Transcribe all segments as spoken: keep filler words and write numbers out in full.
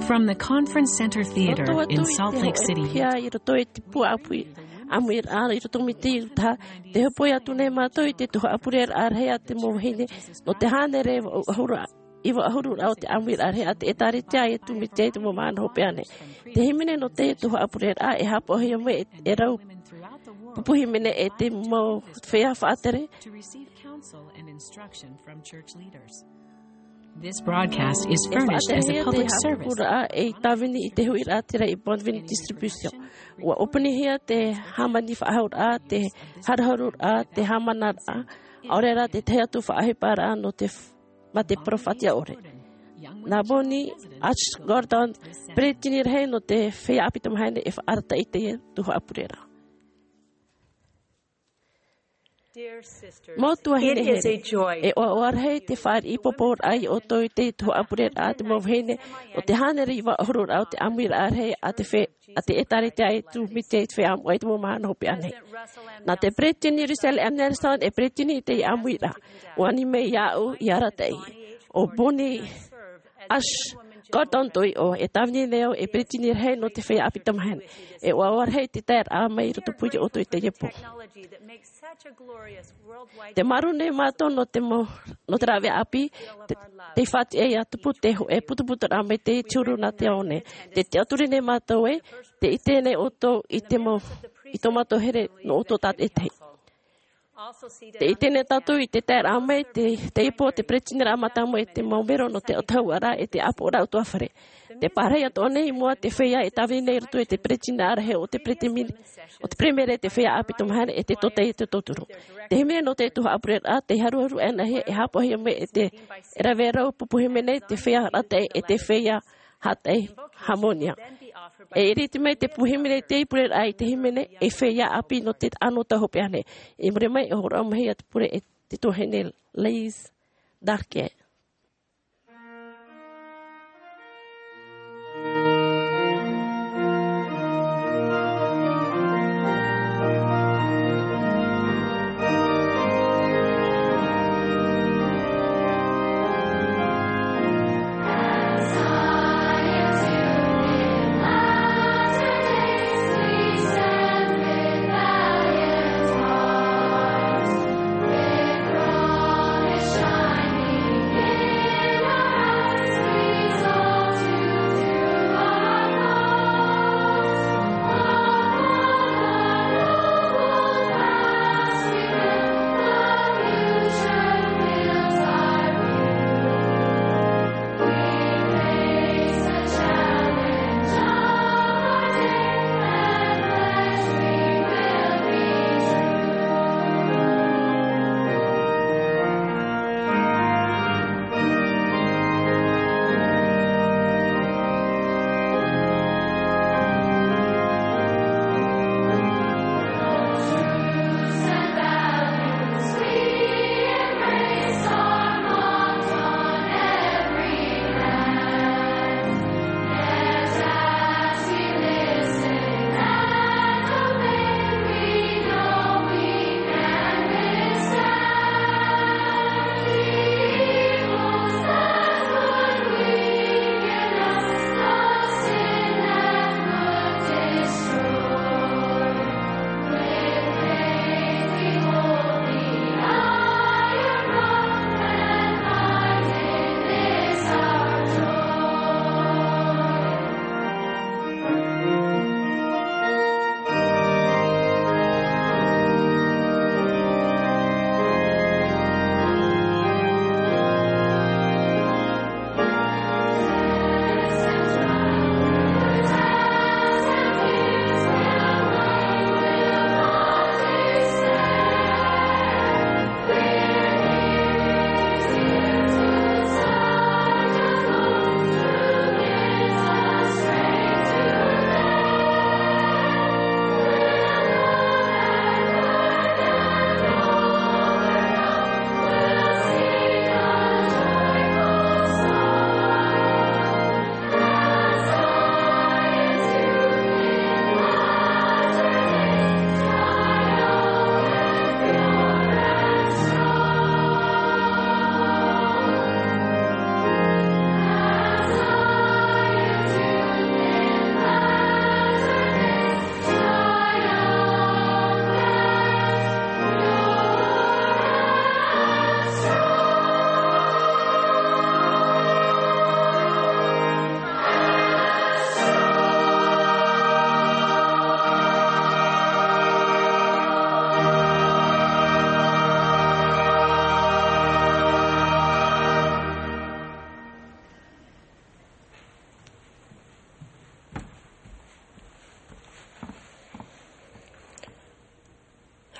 From the Conference Center Theater in Salt Lake City. Pea i roto i te pū ʻāpī, ʻāmuiraʻa i roto mai te Iutaha, tē hōpoi atu nei mātou i te tuhaʻa pureraʻa rahi a te mau vahine, nō te hānere iva ʻahuru, iva ʻahuru raʻa o te ʻāmuiraʻa rahi a te ʻĒtārētia e tū mai te mau mahana hopeʻa nei. Te hīmene nō te tuhaʻa pureraʻa e haʻapaʻohia mai e, e rau pupu hīmene e te mau feiā faʻatere. To receive counsel and instruction from church leaders. This broadcast is furnished as a public service. E tāvini i te huiraʻatira i Bonneville Distribution. ʻUa ʻōpunihia te hāmani faʻahauraʻa, te haruharuraʻa, te haʻamanaraʻa, ʻaore rā te tahi atu faʻaʻohiparaʻa nō te f-, mā te peropheta ʻore. Nā Bonnie H. Gordon, peretiteni rahi nō te feiā ʻāpī tamahine e faʻaarataʻi i teie tuhaʻa pureraʻa. Mau tuahine here, e ʻoaʻoa rahi te fāriʻi pōpōraʻa ia ʻoutou i te tuhaʻa pureraʻa a te mau vahine, ʻo te hānere iva ʻahuru raʻa o te ʻāmuiraʻa rahi a te fe-, a te ʻĒtārētia e tū mai te feiā moʻa i te mau mahana hopeʻa nei. Nā te peretiteni Russell M. Nelson e peretiteni i te ʻāmuiraʻa, ʻua ani mai iāʻu i arataʻi. ʻO Bonnie H. Gordon tōʻu iʻoa, e tāvini nei au e peretiteni rahi nō te feiā ʻāpī tamahine. E ʻoaʻoa rahi te taeraʻa mai i roto pū ia ʻoutou i teie pō. Tē mārū nei mātou nō te mau, nō te rāveʻa ʻāpī, te, te faʻatiʻa ia tupu te hōʻē putuputuraʻa mai te te huru nā te ao nei. Tē, tē tiʻaturi nei mātou ē, tē ʻite nei ʻoutou i te mau, i tō mātou here nō ʻoutou tātaʻitahi. Tē ʻite nei tātou i te taeraʻa mai te, teie pō te peretiteniraʻa mātāmua e te mau mero nō te autahuʻaraʻa e te ʻāpoʻoraʻa ʻutuāfare. Tē pārahi atoʻa nei i mua te feiā e tāvini nei i roto i te peretiteniraʻa rahi o te peretiteni-, o te peremere, te feiā ʻāpī tamahine e te tōtaiete tauturu. Te hīmene nō te tuhaʻa pureraʻa, tē haruharu anaʻe e haʻapaʻohia mai e te, e rave rau pupu hīmene, te feiā arataʻi e te feiā haʻapaʻo hāmani. E iriti mai te pupu hīmene i te pureraʻa i te hīmene, e feiā ʻāpī nō te anotau hopeʻa nei. I muri mai, e hōroʻa mai ia te pure e te tuahine Liz Darke.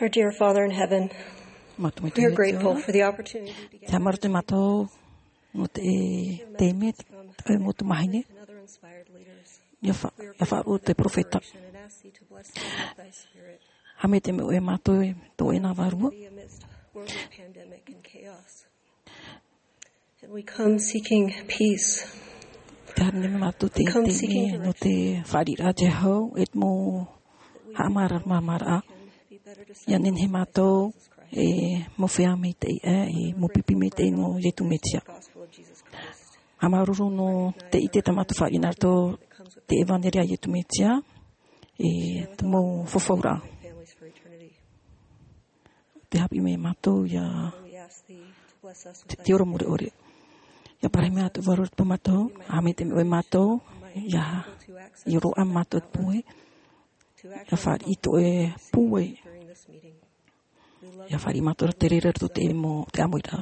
Our dear Father in heaven, we are grateful for the opportunity to gather. Te haʻamāuruuru mātou nō te, te mea, te, te mau tamahine. Ia fa-, ia faʻaroʻo te peropheta. Haʻamaitaʻi mai ʻoe ia mātou i tō ʻoe nā vārua. And we come seeking peace. Tē haere mai mātou i teie taime nō te fāriʻiraʻa a te hau, e te mau haʻamāramarama. Ia nehenehe mātou e mau feiā maitaʻi, e mau pipi maitaʻi nō Iesu Mesia. Haʻamāuruuru nō te ʻite tā mātou fāriʻi nā roto i te ʻevanelia a Iesu Mesia, e te mau fafauraʻa. Tē haʻapiʻi mai mātou ia te, te ora mure ʻore. Ia parahi mai atu vārua te pū mātou, haʻamaitaʻi mai ʻoe ia mātou, ia, ia roaʻa mātou te pūai, ia fāriʻi i tō ʻoe pūai. Ia fāriʻi mātou te reira nā roto i te mau, te ʻāmuiraʻa.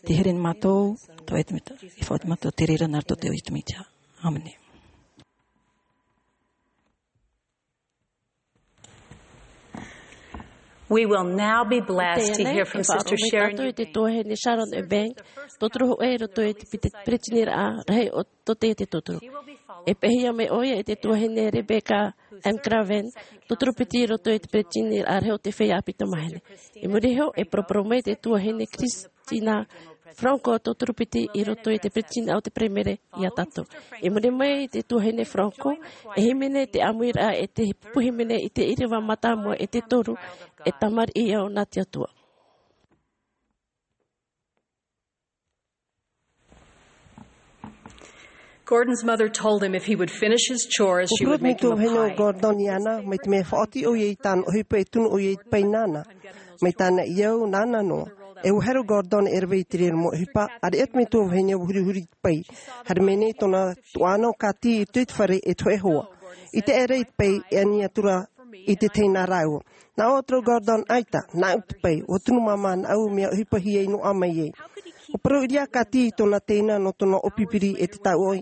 Tē here nei mātou, tō ʻoe te mea, e faʻaoti mātou te reira nā roto i te iʻoa o Iesu Mesia. ʻĀmene. We will now be blessed to hear from Sister Sharon Eubank. Tātou i te tuahine Sharon Eubank, tauturu hōʻē i roto i te piti-, peretiteniraʻa rahi o tō teie tauturu. E pēhia mai ʻoia e te tuahine Rebecca M. Craven, tauturu piti i roto i te peretiteniraʻa rahi o te feiā ʻāpī tamāhine. I muri iho, e poroporo mai te tuahine Chris- tina Franco, tauturu piti i roto i te peretiteni o te Peremere ia tātou. I muri mai i te tuahine Franco, e hīmene te ʻāmuiraʻa e te pupu hīmene i te ʻīrava mātāmua e te toru, e tamariʻi i ʻō nā te Atua. Gordon's mother told him if he would finish his chores, she would make him a pie. Gordon iāna, mai te mea e faʻaoti ʻoia i tāna ʻohipa e tunu ʻoia i te pae nāna. Mai tāna i au, nāna noa. E ʻua haere Gordon e rave i te reira mau ʻohipa, ʻāreʻa te metua vahine ʻua hurihuri i te pae. Haere mai nei tōna tuaʻana ʻo Kathy i roto i te fare e toe hoa. I te ʻere i te pae e ani atu ra i te teina rāua. Nā ʻō atu ra Gordon, ʻaita, nāʻu te pae, ʻua tunu māmā nāʻu mea ʻohipahia i noaʻa mai ai. ʻUa parau ʻīrava Kathy i tōna teina nō tōna ʻōpipiri e te tauʻa,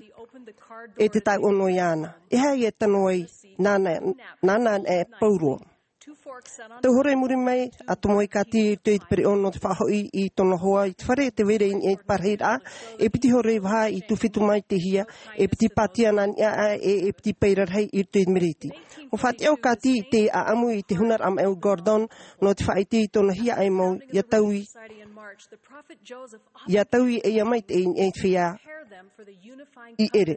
e te tauʻa noa iāna. E aha ia e tano ai, nāna, nāna e pauroa. Tau hora i muri mai, ʻa tomo ai Kathy i roto i te pereʻoʻo nō te faʻahoʻi i tōna hoa i te fare, tē vai ra i niʻa i te parahiraʻa, e piti hora i vaha i tuwhito mai te hia, e piti pātia nā niʻa aʻe, e, e piti pae rarahi i roto i te mereti. ʻUa faʻatiʻa ʻo Kathy i te ʻāʻamu i te hunaraʻa maʻi o Gordon, nō te faʻaʻite i tōna hiaʻai mau, ʻia taui, ʻia taui e ʻia maitaʻi i niʻa i te feiā i ʻere.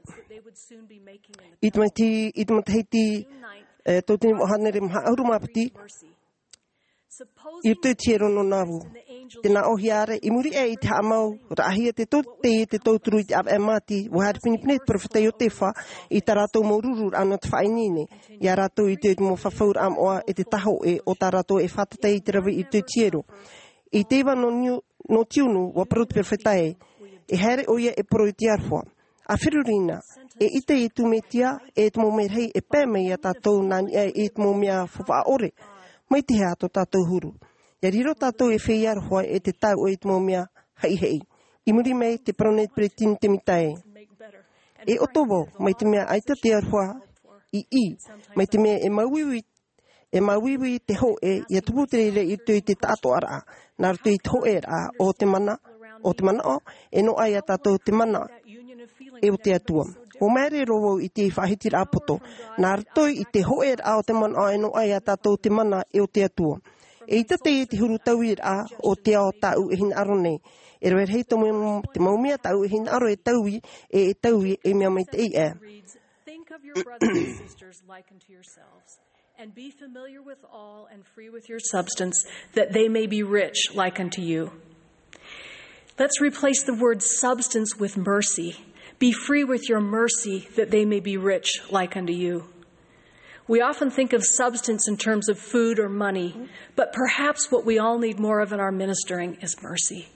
I te matahiti, i te matahiti, e, tauatini vaʻu hānere maha ʻahuru mā piti, i roto i te hiero nō Nauvoo. Tē nā ʻōhia ra, i muri aʻe i te haʻamau, raʻahia te tau-, te, te tauturu i te ʻāvaʻe māti, ʻua haere pinepine te peropheta Iosefa i tā rātou mau rururaʻa nō te faʻaineine, ia rātou i te, te mau fafauraʻa moʻa e te tahoʻe o tā rātou e fātata i te rave i roto i te hiero. I te iva nō Niu-, nō Tiunu, ʻua parau te peropheta ē, e haere ʻoia e parau i te aroha. ʻA feruri na, eʻita Iesu Mesia, e te mau merahi e pae mai ia tātou nā niʻa i te mau mea faʻaʻore. Mai te hea tō tātou huru. ʻIa riro tātou e feiā aroha e te tauʻa i te mau mea haʻihaʻi. I muri mai tē parau nei te peretiteni Tēmita ē. E ʻoto vau, mai te mea ʻaita te aroha i ʻī, mai te mea e māuiui, e māuiui te hōʻē, ʻia tupu te reira i roto i te taʻatoʻaraʻa, nā roto i te hōʻēraʻa o te mana, o te manaʻo, e noaʻa ia tātou te mana, e o te Atua. ʻUa māere roa vau i te faʻahitiraʻa poto, nā roto i te hōʻēraʻa o te manaʻo e noaʻa ia tātou te mana, e o te Atua. ʻEita teie te huru tauiraʻa o te ao tāʻu e hinaʻaro nei. E rave rahi te mau, te mau mea tāʻu e hinaʻaro e taui, e, e taui, e mea maitaʻi aʻe. Think of your brothers and sisters like unto yourselves, and be familiar with all and free with your substance, that they may be rich like unto you. Let's replace the word substance with mercy. Be free with your mercy, that they may be rich like unto you. We often think of substance in terms of food or money, but perhaps what we all need more of in our ministering is mercy.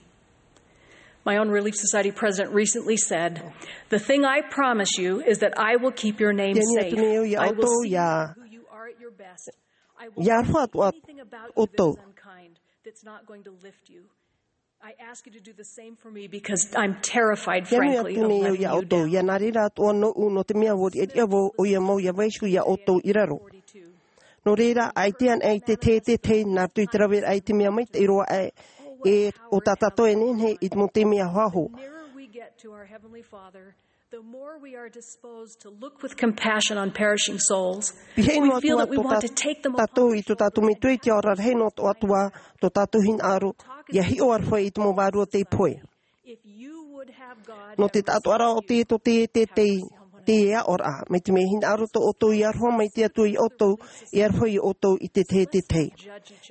My own Relief Society president recently said, "The thing I promise you is that I will keep your name safe. I will see you who you are at your best. I won't say anything about you that is unkind, that's not going to lift you. I ask you to do the same for me because I'm terrified, frankly, of letting you down." Ia nā reira atoʻa nōʻu, nō te mea ʻua riʻariʻa vau, ʻoia mau ʻia vaiiho ia ʻoutou i raro. Nō reira, ʻaita anaʻe i te teitei, nā roto i te raveraʻa i te mea maitaʻi roa aʻe, e ʻo tā tātou e nehenehe i te mau taime ahoaho. The nearer we get to our Heavenly Father, the more we are disposed to look with compassion on perishing souls. Pīhaʻi noa atu ā tō tātou i tō tātou metua i te ao rarahi noa atu ā tō tātou hinaʻaro, ia hiʻo aroha i te mau vārua tei pohe. Nō te taʻatoʻaraʻa o te, tō te, te, te, te aʻoraʻa, mai te mea hinaʻaro tō ʻoutou i aroha mai te Atua ia ʻoutou, e aroha ia ʻoutou i te teitei.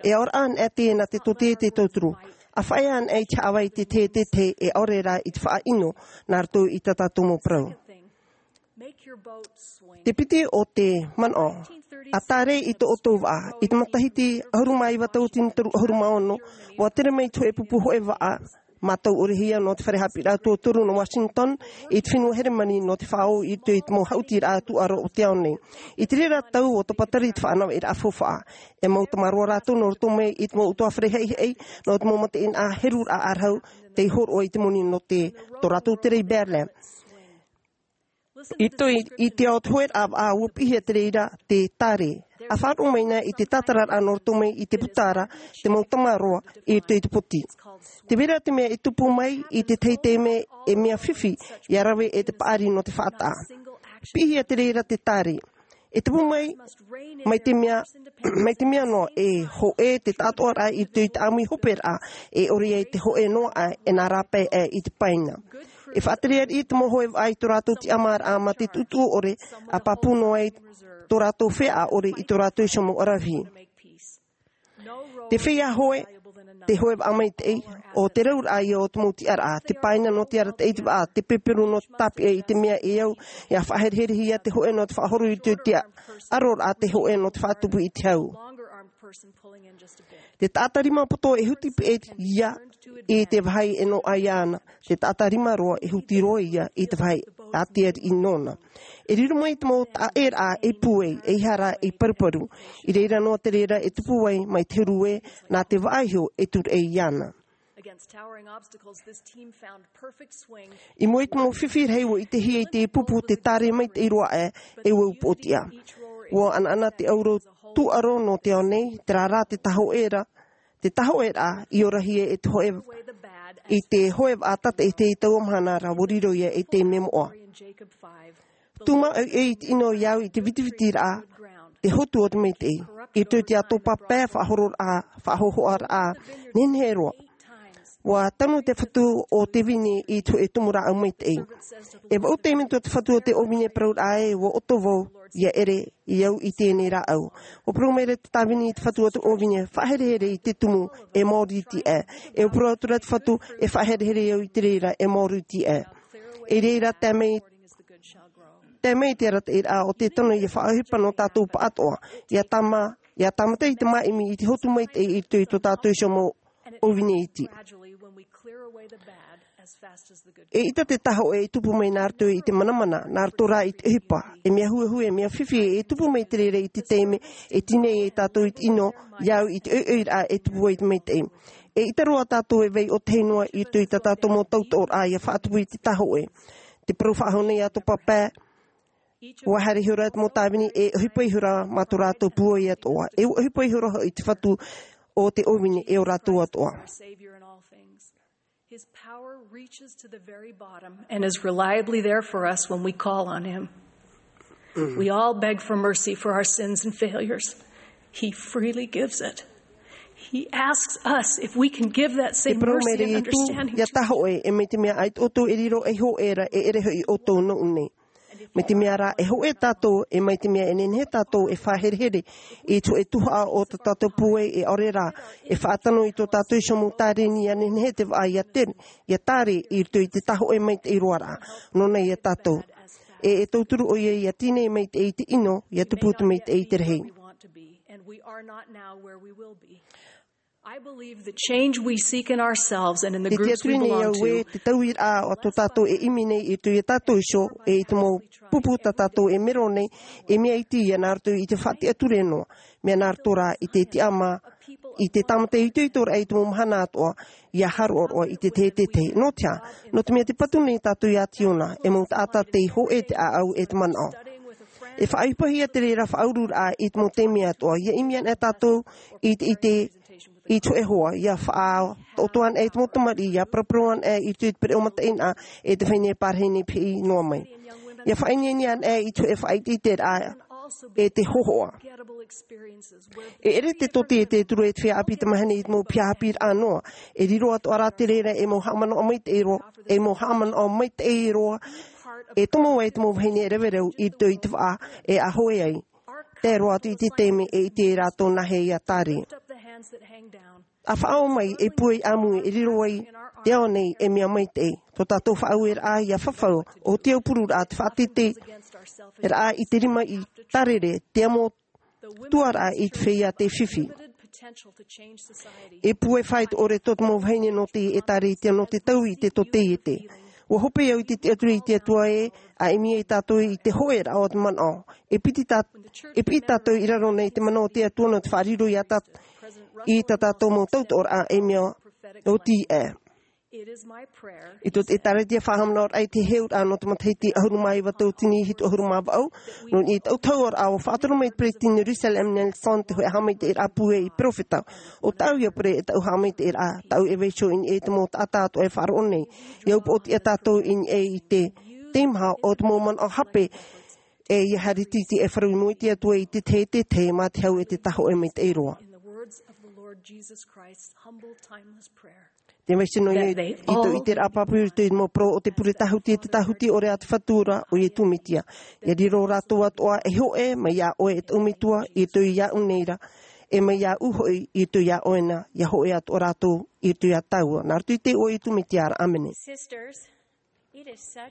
E aʻoraʻa anaʻe teie nā te tō te, te tauturu. ʻA faʻaea anaʻe i te haʻavā i te teitei, e ʻaore rā i te faʻaʻino, nā roto i tā tātou mau parau. Te piti o te manaʻo, ʻa tāre i tō ʻoutou vaʻa, i te matahiti ʻahuru mā iva tauatini toru ʻahuru mā ono, ʻua tere mai te hōʻē pupu hōʻē vaʻa, mātau ʻore hia nō te fare haʻapiʻiraʻa tuatoru nō Washington, i te fenua Heremani nō te faʻaō i te, i te mau haʻutiraʻa tūʻaro o te ao nei. I te reira tau ʻua tapatari te faʻanahoraʻa faufaʻa. E mau tamaroa rātou nō roto mai i te mau ʻutuāfare haʻihaʻi, nō te mau mataʻeinaʻa heruraʻa ʻārahu, tei hōroʻa i te moni nō te, tō rātou tere i Berlin. I roto i, i te ao te hōʻē vaʻa ʻua piʻihia te reira te tāre. ʻA faʻaroʻo mai na i te tātararaʻa nō roto mai i te puta ra, te mau tamaroa, i roto i te poti. Tē vai ra te mea e tupu mai i te teitei mea e mea fifi, ʻia rave e te paʻari nō te faʻataʻa. Piʻihia te reira te tāre. E tupu mai, mai te mea, mai te mea noa, e hōʻē te taʻatoʻaraʻa i roto i te ʻāmui hoperaʻa, e ʻore ai te hōʻē noa aʻe, e nā rāpae aʻe i te paina. E faʻatere ariʻi te mau hōʻē vaʻa i tō rātou tiʻamāraʻa mā te tuʻutuʻu ʻore, ʻa pāpū noa ai tō rātou feiā ʻore i tō rātou iho mau ʻaravihi. Te feiā hōʻē, te hōʻē vaʻa maitaʻi, ʻo te rauraʻa ia o te mau tiʻaraʻa, te paina nō te arataʻi i te vaʻa, te peperu nō te tāpeʻa i te mea e au, ʻia faʻahereherehia te hōʻē nō te faʻahoro i te, te ʻaroraʻa te hōʻē nō te faʻatupu i te hau. Te taʻata rima poto e huti peʻe ia i te vāhi e noaʻa iāna, te taʻata rima roa e huti roa ia i te vāhi ʻātea riʻi nōna. E riro mai te mau taʻaʻēraʻa ei pūai, ei hara, ei paruparu. I reira noa te reira e tupu ai mai te huru ē, nā te vaʻa iho e tūraʻi iāna. Against towering obstacles, this team found perfect swing. I mua i te mau fifi rahi ʻua ʻitehia i te pupu te tāre maitaʻi roa aʻe, e ʻua upoʻotiʻa. ʻUa ʻanaʻana te ʻauro tūʻaro nō te ao nei, terā rā te tahoʻe ra, te tahoʻeraʻa i orahia e te hōʻē, i te hōʻē vaʻa tātaʻitahi i taua mahana ra, ʻua riro ia ei taime moʻa. Tūmā ʻoiʻoi i te ʻino i au i te vitivitiraʻa, te hotu o te maitaʻi. I roto i te ʻātopa pae, faʻahororaʻa, faʻahōhoʻaraʻa, nehenehe roa. ʻUa tanu te fatu o te vine i te hōʻē tumu rāʻau maitaʻi. E vaʻu taime atu te fatu o te ʻōvine parauraʻa ē, ʻua ʻoto vau, ʻia ʻere, i au i teie nei rāʻau. ʻUa parau mai ra te tāvini i te fatu o te ʻōvine, faʻaherehere i te tumu, e māori iti aʻe. E ʻua parau atu ra te fatu, e faʻaherehere au i te reira, e māori iti aʻe. I reira tae mai, tae mai te arataʻiraʻa o te tano ʻia faʻaʻohipa nō tātou pāʻatoʻa, ʻia tāmā, ʻia tāmata i te māʻimi i te hotu maitaʻi i roto i tō tātou iho mau ʻōvine iti. E ʻita te tahoʻe e tupu mai nā roto i te manamana, nā roto rā i te ʻohipa, e mea huehue, e mea fifi, e tupu mai te reira i te taime, e tīnei ai tātou i te ʻino, i au i te ʻoiʻoiraʻa e tupu ai te maitaʻi. E ʻita roa tātou e vai ʻōtahi noa i roto i tā tātou mau tautoʻoraʻa ʻia faʻatupu i te tahoʻe. Te parau faʻahou nei ʻātopa pae, ʻua haere ihora te mau tāvini e ʻohipa ihora mā tō rātou pūai atoʻa. E ʻua ʻohipa ihora hoʻi te fatu o te ʻōvine e ʻo rātou atoʻa. His power reaches to the very bottom and is reliably there for us when we call on him. We all beg for mercy for our sins and failures. He freely gives it. He asks us if we can give that same mercy and understanding. Ia tahoʻe, e mai te mea ʻaita ʻoutou e riro ei hōʻē ra, e ʻere hoʻi ʻoutou nōʻu nei. Mai te mea rā, e hōʻē tātou, e mai te mea e nehenehe tātou e faʻaherehere i te hōʻē tuhaʻa o tō tātou pūai, e ʻaore rā, e faʻatano i tō tātou iho mau tāreni ʻia nehenehe te vaʻa ʻia tere, ʻia tāre i roto i te tahoʻe maitaʻi roa ra. Nōna ia tātou. E, e tauturu ʻoia ʻia tīnei maitaʻi i te ʻino, ʻia tupu te maitaʻi i te rahi. I believe the change we seek in ourselves and in the groups we belong to. Te tiaturi nei au ē, te tauiraʻa o tō tātou e ʻimi nei i roto ia tātou iho, e i te mau pupu tā tātou e mero nei, e mea iti ia nā roto i te faʻatiʻaturi noa, mea nā roto rā i te tiʻamā, i te tāmata itoitoraʻa i te mau mahana atoʻa, ʻia haroʻaroʻa i te teitei. Nō te aha? Nō te mea tē patu nei tātou iā Tiona, e mau taʻata tei hōʻē te ʻāʻau e te manaʻo. E faʻaʻohipahia te reira faʻaururaʻa i te mau taime atoʻa. Ia ʻimi ana tātou i te, i te, i te hōʻē hoa, ia faʻatoʻotoʻo ana i te mau tamariʻi, ia paraparau ana i te, i te pereʻoʻo mataʻeinaʻa, e te vahine pārahi nei pihaʻi noa mai. Ia faʻaineine ana i te hōʻē faʻaʻiteʻiteraʻa, e te hōhoʻa. E ʻere te tōtaiete e turu e te feiā ʻāpī tamahine i te mau piha haʻapiʻiraʻa noa. E riro atoʻa rā te reira e mau haʻamanaʻo maitaʻi roa, e mau haʻamanaʻo maitaʻi roa, e tomo ai te mau vahine e rave rau i roto i te vaʻa, e ʻa hoe ai. Tae roa atu i te taime e ʻite ai rātou nāhea ia tārē. ʻA faʻaō mai, e pūai ʻāmui, e riro ai te ao nei, e mea maitaʻi. Tō tātou faʻaueraʻa ia fafau, ʻo te aupururaʻa, te faʻateiteiraʻa i te rima i tārere, te amo tuaraʻa i te feiā tei fifi. E pūai faʻaitoito tō te mau vahine nō te ʻētārētia nō te taui i te tōtaiete. ʻUa hope au i te tiʻaturi i te Atua ē, ʻa ʻimi ai tātou i te hōʻēraʻa o te manaʻo. E piti tā-, e piʻi tātou i raro nei te mana o te Atua nō te faʻariro ia tā-, i tā tātou mau tautoʻoraʻa e mea oti ē. I tō te ʻētārētia faʻahaʻamanaʻoraʻa i te heheuraʻa nō te matahiti ʻahuru mā iva tauatini hitu ʻahuru mā vaʻu, nō niʻa i te ʻautahuʻaraʻa ʻua faʻatura mai te peresideni Russell M. Nelson te hōʻē haʻamaitaʻiraʻa pūai i peropheta. ʻO tāʻu ia pure e tāʻu haʻamaitaʻiraʻa, tāʻu e vaiiho i niʻa i te mau taʻata atoʻa e faʻaroʻo nei. Ia upoʻotiʻa tātou i niʻa i te teimaha o te mau manaʻo hape, e ia haere tītī e farau i mua i te Atua i te tahi e te tahi mā te hau e te tāhōʻē maitaʻi roa. Te vaiiho nō ia i tō ʻiteraʻa pāpū i roto i te mau parau o te pure tāhuti e te tāhuti ʻore a te Fatu ra ʻo Iesu Mesia. Ia riro rātou atoʻa e hōʻē, mai iā ʻoe e tāʻu Metua, i roto iāʻu nei ra, e mai iāʻu hoʻi, i roto iā ʻoe na, ia hōʻē atoʻa rātou, i roto iā tāua. Nā roto i te iʻoa o Iesu Mesia ra, ʻāmene.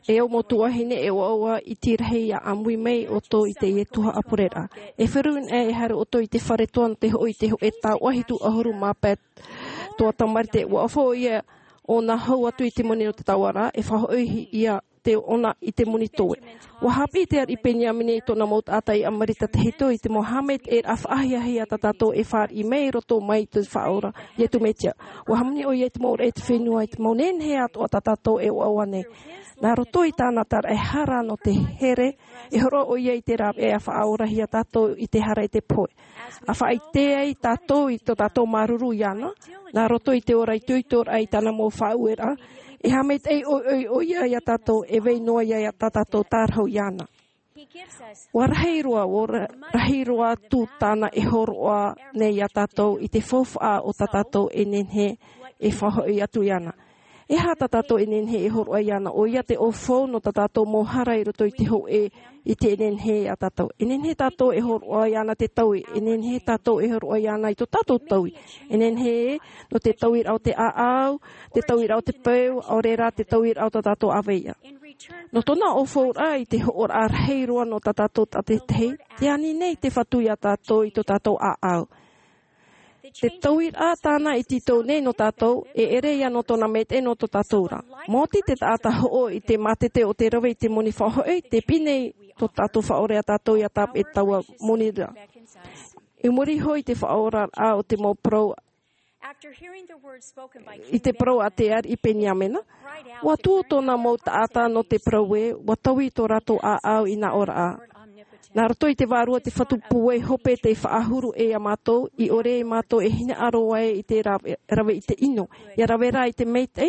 E au mau tuahine, e ʻoaʻoa iti rahi ia ʻāmui mai ʻoutou i teie tuhaʻa pureraʻa. E feruri anaʻe e haere ʻoutou i te fare toa nō te hoʻo i te hōʻē taoʻa hitu ʻahuru mā pae toa Tamarite, ʻua ʻoaʻoa ʻoia ʻōna hau atu i te moni o te taoʻa ra, e faʻahoʻi ia te ʻōna i te moni toe. ʻUa haʻapiʻi te ariʻi Peniamina i tōna mau taʻata iā Marita tahito i te mau haʻamaitaʻiraʻa faʻahiahia tā tātou e fāriʻi mai i roto mai i te Faʻaora, Iesu Mesia. ʻUa hāmani ʻoia i te mau ʻōroʻa i te fenua, i te mau nehenehe atoʻa tā tātou e ʻoaʻoa nei. Nā roto i tāna taraʻehara nō te here, e hōroʻa ʻoia i te rāveʻa e faʻaorahia tātou i te hara e te pohe. ʻA faʻaʻite ai tātou i tō tātou māuruuru iāna, nā roto i te ora itoitoraʻa i tāna mau faʻaueraʻa, e haʻamaitaʻi ʻoiʻoi ʻoia iā tātou, e vai noa ia tā tātou tārahu iāna. ʻUa rahi roa, ʻua ra-, rahi roa atu tāna e hōroʻa nei iā tātou i te faufaʻa o tā tātou e nehenehe e faʻahoʻi atu iāna. E aha tā tātou e nehenehe e hōroʻa iāna? ʻOia te ʻaufau nō tā tātou mau hara i roto i te hōʻē i te nehenehe iā tātou. E nehenehe tātou e hōroʻa iāna te taui, e nehenehe tātou e hōroʻa iāna i tō tātou taui. E nehenehe nō te tauiraʻa o te ʻāʻau, te tauiraʻa o te peu, ʻaore rā te tauiraʻa o tā tātou ʻāvaʻe. Nō tōna ʻaufauraʻa i te hoʻoraʻa rahi roa nō tā tātou tātaʻitahi, tē ani nei te Fatu iā tātou i tō tātou ʻāʻau. Te tauiraʻa tāna i tītau nei nō tātou, e ʻere ia nō tōna maitaʻi nō tō tātou ra. Maoti te taʻata hoʻo i te mātete o te rave i te moni faʻahoʻi, tē piʻi nei tō tātou Faʻaora iā tātou ʻia tāpeʻa i taua moni ra. I muri iho i te faʻaoraraʻa o te mau parau, i te parau a te ariʻi Peniamina, ʻua tuō tōna mau taʻata nō te parau ē, ʻua taui tō rātou ʻāʻau i nā ʻōraʻa. Nā roto i te vārua te Fatu pūai hope tei faʻahuru iā mātou, i ʻore ia mātou e hinaʻaro ai i te rave, rave i te ʻino, ʻia rave rā i te maitaʻi,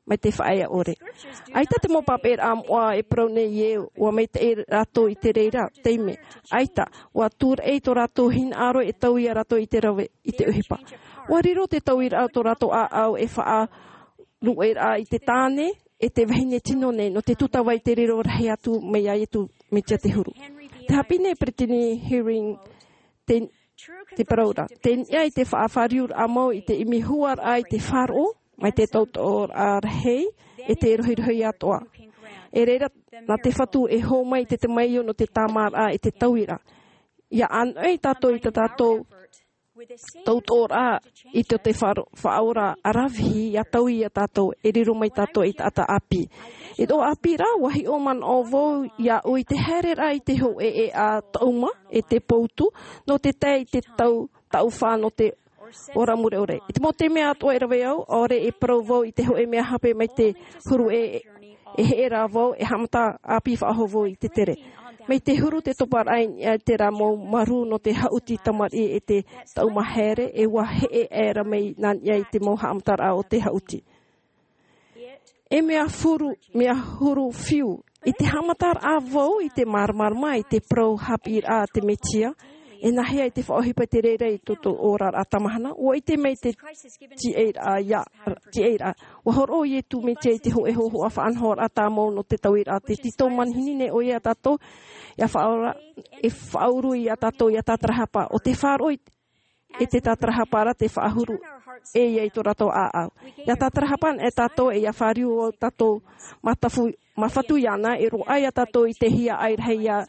mai te faʻaea ʻore. ʻAita te mau pāpaʻiraʻa moʻa e parau nei ē, ʻua maitaʻi rātou i te reira taime. ʻAita, ʻua tūraʻi tō rātou hinaʻaro e taui ia rātou i te rave, i te ʻohipa. ʻUa riro te tauiraʻa o tō rātou ʻāʻau e faʻaruʻeraʻa i te tāne, e te vahine tino nei, nō te tūtava i te riro rahi atu mai iā Iesu Mesia te Huru. Tē haʻapiʻi nei Brittany Eyring te, te parau ra. Tei niʻa i te faʻafāriuraʻa mau i te ʻimi huaraʻa i te faʻaroʻo, mai te tautoʻoraʻa rahi, e te rohirohi atoʻa. E reira, nā te Fatu e hō mai i te tamaio nō te tāmāraʻa e te tauiraʻa. ʻIa ʻānoʻi tātou i tā tātou tautoʻoraʻa i tō te faʻaro-, Faʻaora ʻaravihi ʻia taui iā tātou, e riro mai tātou ei taʻata ʻāpī. I tō ʻāpī ra, ʻua hiʻo manaʻo vau iāʻu i te haereraʻa i te hōʻē ʻēʻa taʻuma, e te poutu, nō te tae i te tau, taʻu fā nō te ora mure ʻore. I te mau taime atoʻa e rave au, ʻaore e parau vau i te hōʻē mea hape mai te huru ē, e heʻe rā vau, e haʻamata ʻāpī faʻahou vau i te tere. Mai te huru te toparaʻa i niʻa i terā mau marū nō te haʻuti tamariʻi e te taʻu mahere, e ua heʻe aʻera mai nā niʻa i te mau haʻamataraʻa o te haʻuti. E mea huru, mea huru fiu, i te haʻamataraʻa vau i te māramarama i te parau haʻapiʻiraʻa a te Mesia, e nāhea i te faʻaʻohipa i te reira i tō tō oraraʻa tamahana, ua ʻite mai te tiʻairaʻa ia, tiʻairaʻa. Ua hōroʻa Iesu Mesia i te hōʻē hōhoʻa faʻanahoraʻa tāmau nō te tauiraʻa, te tītau manihini nei ʻoia ia tātou, ia faʻaora, e faʻauru ia tātou, ia tātarahapa, ʻo te faʻaroʻo i e te tātarahapa ra te faʻahuru, e ia i tō rātou ʻāʻau. Ia tātarahapa e tātou, e ia fāriu ʻo tātou, matafu, mafatu iāna, e roaʻa ia tātou i te hiaʻai rahi ia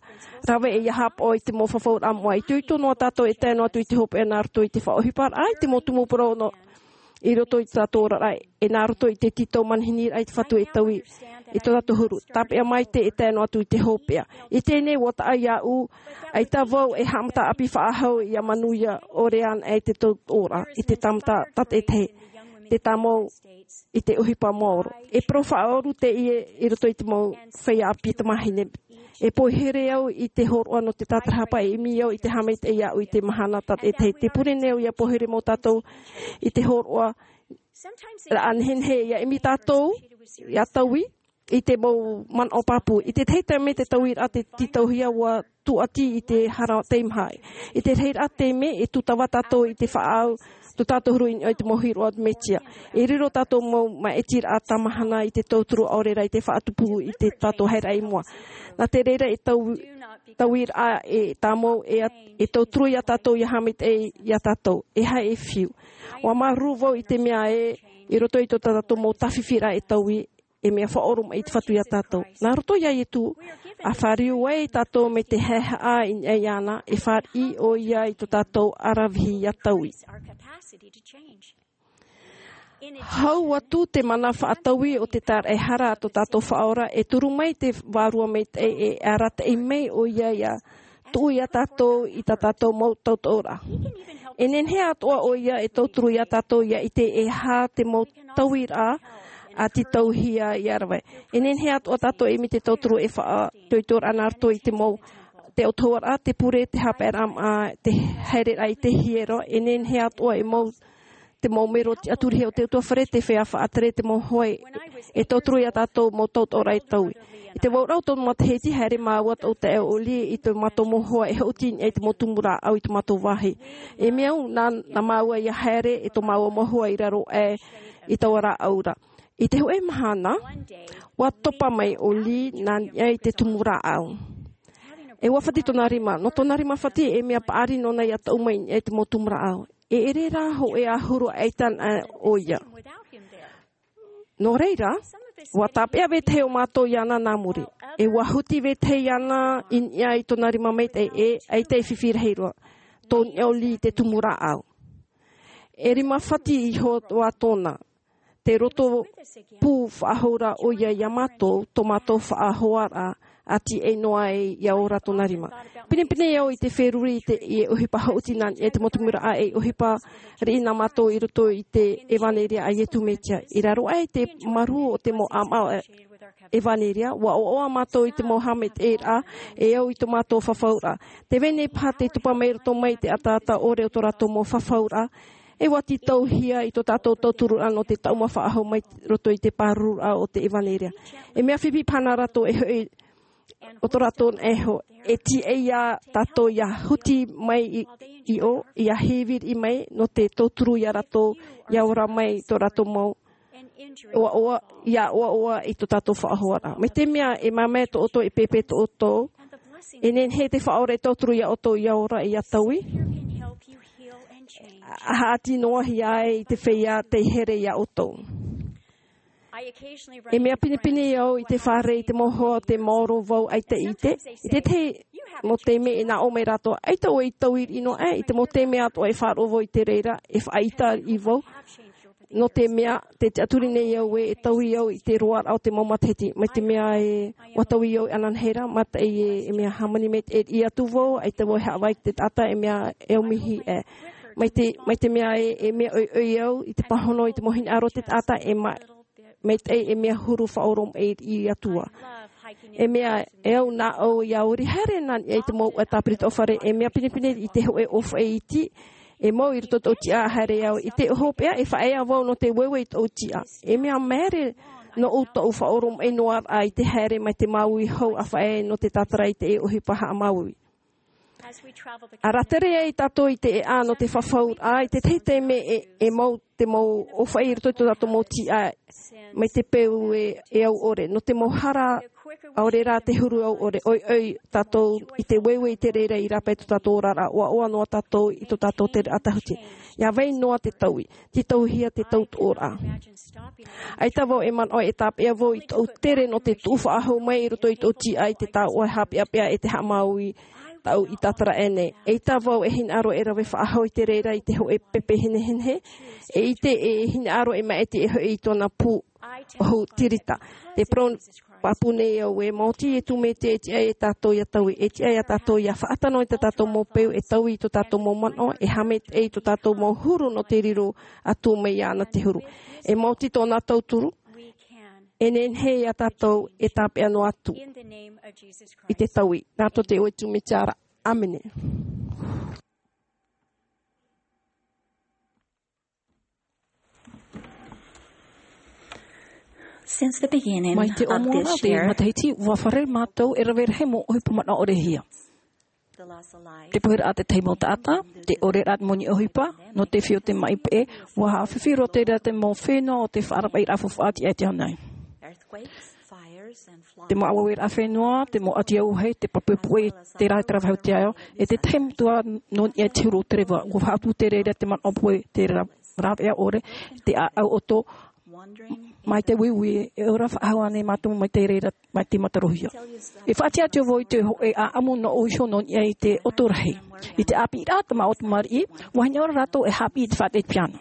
rave, e ia haʻapaʻo i te mau fafauraʻa moʻa. ʻItoito noa tātou e tae noa atu i te hopeʻa nā roto i te faʻaʻohiparaʻa, i te mau tumu parau nō, i roto i tō tātou oraraʻa, e nā roto i te tītau manihiniraʻa i te Fatu e taui, i tō tātou huru. Tāpeʻa maite e tae noa atu i te hopeʻa. I teie nei, ua taʻa iāʻu, ʻaita vau e haʻamata ʻāpī faʻahou ia manuia ʻore ana e te tautoʻoraʻa, i te tāmata tātaʻitahi, te tāmau i te ʻohipa maoro. E parau faʻaʻoru teie i roto i te mau feiā ʻāpī tamāhine. E poihere au i te hōroʻa nō te tātarahapa, e ʻimi au i te haʻamaitaʻi iāʻu i te mahana tātaʻitahi. Tē pure nei au ia poihere mau tātou i te hōroʻa raʻa nehenehe, ia ʻimi tātou, ia taui, i te mau manaʻo pāpū. I te tahi taime te tauiraʻa te tītauhia ua tūʻati i te hara teimaha. I te rahiraʻa taime e tūtava tātou i te faʻaau, tō tātou huru i niʻa i te mau hiroʻa Mesia. E riro tātou mau māʻitiraʻa tamahana i te tauturu ʻaore rā i te faʻatupu i te tātou haere i mua. Nā te reira e tau, tauiraʻa e tāmau e, e tauturu ia tātou ia haʻamaitaʻi ia tātou. E haere fiu. Ua māuruuru vau i te mea ē, i roto i tō tātou mau tāfifiraʻa e taui, e mea faʻaoromaʻi i te Fatu ia tātou. Nā roto ia Iesu, ʻa fāriu ai tātou mai te haʻehaʻa i niʻa iāna, e fāriʻi ʻoia i tō tātou ʻaravihi ia taui. Hau atu te mana faʻataui o te tāraʻehara a tō tātou Faʻaora, e turu mai te Vārua Maitaʻi e arataʻi mai ʻoia ia tuʻu ia tātou i tā tātou mau tautoʻoraʻa. E nehenehe atoʻa ʻoia e tauturu ia tātou ia ʻite e aha te mau tauiraʻa a tītauhia ia rave. E nehenehe atoʻa tātou e ʻimi te tauturu e faʻaitoitoraʻa nā roto i te mau, te ʻautahuʻaraʻa, te pure, te haʻapaeraʻa, te haereraʻa i te hiero, e nehenehe atoʻa e mau te mau mero tiʻaturi o te ʻutuāfare, te feiā faʻatere, te mau hoa e tauturu ia tātou mau tautoʻoraʻa e taui. I te vauraʻa o tō matahiti, haere māua tō taeaʻe Oli i tō mātou mau hoa e haʻuti i niʻa i te mau tumu rāʻau i tō mātou vāhi. E mea au, nā, nā māua ia haere e tō māua mau hoa i raro aʻe i taua rāʻau ra. I te hōʻē mahana, ua topa mai Oli nā niʻa i te tumu rāʻau. E ua fati tōna rima, nō tōna rima fati e mea paʻari nōna ia taʻu mai i niʻa i te mau tumu rāʻau. E ʻere rā hōʻē ʻahuru ʻaita anaʻe ʻoia. Nō reira, ua tāpeʻa vetahi o mātou iāna nā muri. E ua huti vetahi iāna i niʻa i tōna rima maitaʻi e ʻaita e fifi rahi roa. Tō niʻa Oli i te tumu rāʻau. E rima fati iho atoʻa tōna. Te roto pū faʻahou ra ʻoia ia mātou, tō mātou faʻahoaraʻa, ʻa tīaʻi noa ai ia ora tōna rima. Pinepine au i te feruri i te, i ʻohipa haʻuti nā niʻa i te mau tumu rāʻau, e ʻohipa riʻi nā mātou i roto i te ʻevaneria a Iesu Mesia. I raro aʻe i te marū o te mau ʻāmaʻo ʻevaneria, ua ʻoaʻoa mātou i te mau haʻamaitaʻiraʻa e au i tō mātou fafauraʻa. Tē vai nei paha te topa mai roto mai i te ʻataʻata ʻore o tō rātou mau fafauraʻa, e ua tītauhia i tō tātou tauturuʻa nō te taʻuma faʻahou mai roto i te pārururaʻa o te ʻevaneria. E mea fifi paha nā rātou e hoʻi o tō rātou naʻe iho, e tīaʻi ia tātou ia huti mai i, i ʻō, ia hīviri mai, nō te tauturu ia rātou, ia ora mai tō rātou mau, ua, ua, ia ʻoaʻoa i tō tātou faʻahoaraʻa. Mai te mea e māmae tō ʻoutou, e pēpē tō ʻoutou, e nehenehe te Faʻaora e tauturu ia ʻoutou, ia ora, ia taui. ʻA haʻati noa hia ai i te feiā tei here ia ʻoutou. E mea pinepine au i te fare i te mau hoa o te maoro vau ʻaita i ʻite. I te tahi mau taime e nā ʻō mai rātou, ʻaita ʻoe i taui riʻi noa aʻe, i te mau taime atoʻa e faʻaroʻo vau i te reira, e faʻaʻiteraʻa vau. Nō te mea, tē tiʻaturi nei au ē, e taui au i te roaraʻa o te mau matahiti. Mai te mea ē, ua taui au ananahi ra, mataʻi ē, e mea hāmani mai te, e riʻi atu vau, ʻaita vau e haʻavā i te taʻata, e mea e au mihi ē. Mai te, mai te mea ē, e mea ʻoiʻoi au, i te pāhono, i te mau hinaʻaro o te taʻata, e ma-, maitaʻi e mea huru faʻaoromaʻi i te Atua. E mea, e au nā ʻō ia ori haere nā niʻa i te mau ʻua tāpiri tō fare, e mea pinepine i te hoʻe ʻōfaʻi iti, e mau i roto tō tiʻa haere au, i te hopeʻa, e faʻaea vau nō te ueue i tō tiʻa. E mea maere nō ʻu tō ʻu faʻaoromaʻi noa raʻa i te haere mai te māuiui hou a faʻaea nō te tātara i te ʻohipa haʻamāuiui. A rātere ai tātou i te ʻēʻa nō te fafauraʻa, i te tahi taime e, e mau te mau ʻōfaʻi i roto i tō tātou mau tiʻa, mai te peu e, e au ʻore. Nō te mau hara, ʻaore rā te huru au ʻore, ʻoiʻoi tātou i te ueue i te reira i rāpae tō tātou oraraʻa, ʻoaʻoa noa tātou i tō tātou tere ʻatahuti. Ia vai noa te taui, te tauhia te tautoʻoraʻa. ʻAita vau e manaʻo e tāpeʻa vau i tō ʻu tere nō te tuʻu faʻahou mai i roto i tō tiʻa i te taoʻa haʻapeʻapeʻa e te haʻamāuiui, tāʻu i tātara aʻe nei. ʻAita vau e hinaʻaro e rave faʻahou i te reira i te hoʻe pepe hinehinehe, e ʻite e hinaʻaro e maʻiti e hoʻi i tōna pū ʻohu tirita. Te parau pāpū nei au e maoti e tū mai te e tiʻa e tātou ia taui, e tiʻa ia tātou ia faʻatano i tā tātou mau peu, e taui i tō tātou mau manaʻo, e haʻamaitaʻi i tō tātou mau huru nō te riro atu mai iāna te huru. E maoti tōna tauturu, e nehenehe ia tātou e tāpeʻa noa atu i te taui. Nā tō te ʻoe tū mai te ara. ʻĀmene. Since the beginning Mai te of ʻōmuaraʻa this o te year, matahiti, ua fārerei mātou e rave rahi mau ʻohipa manaʻo ʻore hia. The loss of life, te puheraʻa te tahi mau taʻata, te ʻoreraʻa te moni ʻohipa, nō te fifi o te maʻi peʻe, ua haʻafifi roa te reira te mau fenua o te faʻarapaʻiraʻa faufaʻa tiʻa i te ao nei. Earthquakes, fires, and floods. Te mau ʻauaueraʻa fenua, te mau ʻati auahi, te pape puʻe, te rā e te rave hau te ao, e te tahi metua nō niʻa i te huru o te reva, ua faʻaʻapu te reira te manaʻo puʻe, te rā-, rāveʻa ʻore, te ʻāʻau ʻoto, mai te uiui, e ora faʻahou ānei mātou mai te reira, mai te matarohia. E faʻatiʻa atu vau i te hōʻē ʻāʻamu nō ʻō iho nō niʻa i te ʻoto rahi. I te ʻāpīraʻa tamaʻo tamariʻi, ua hinaʻaro rātou e haʻapiʻi i te faʻaʻite i te piano.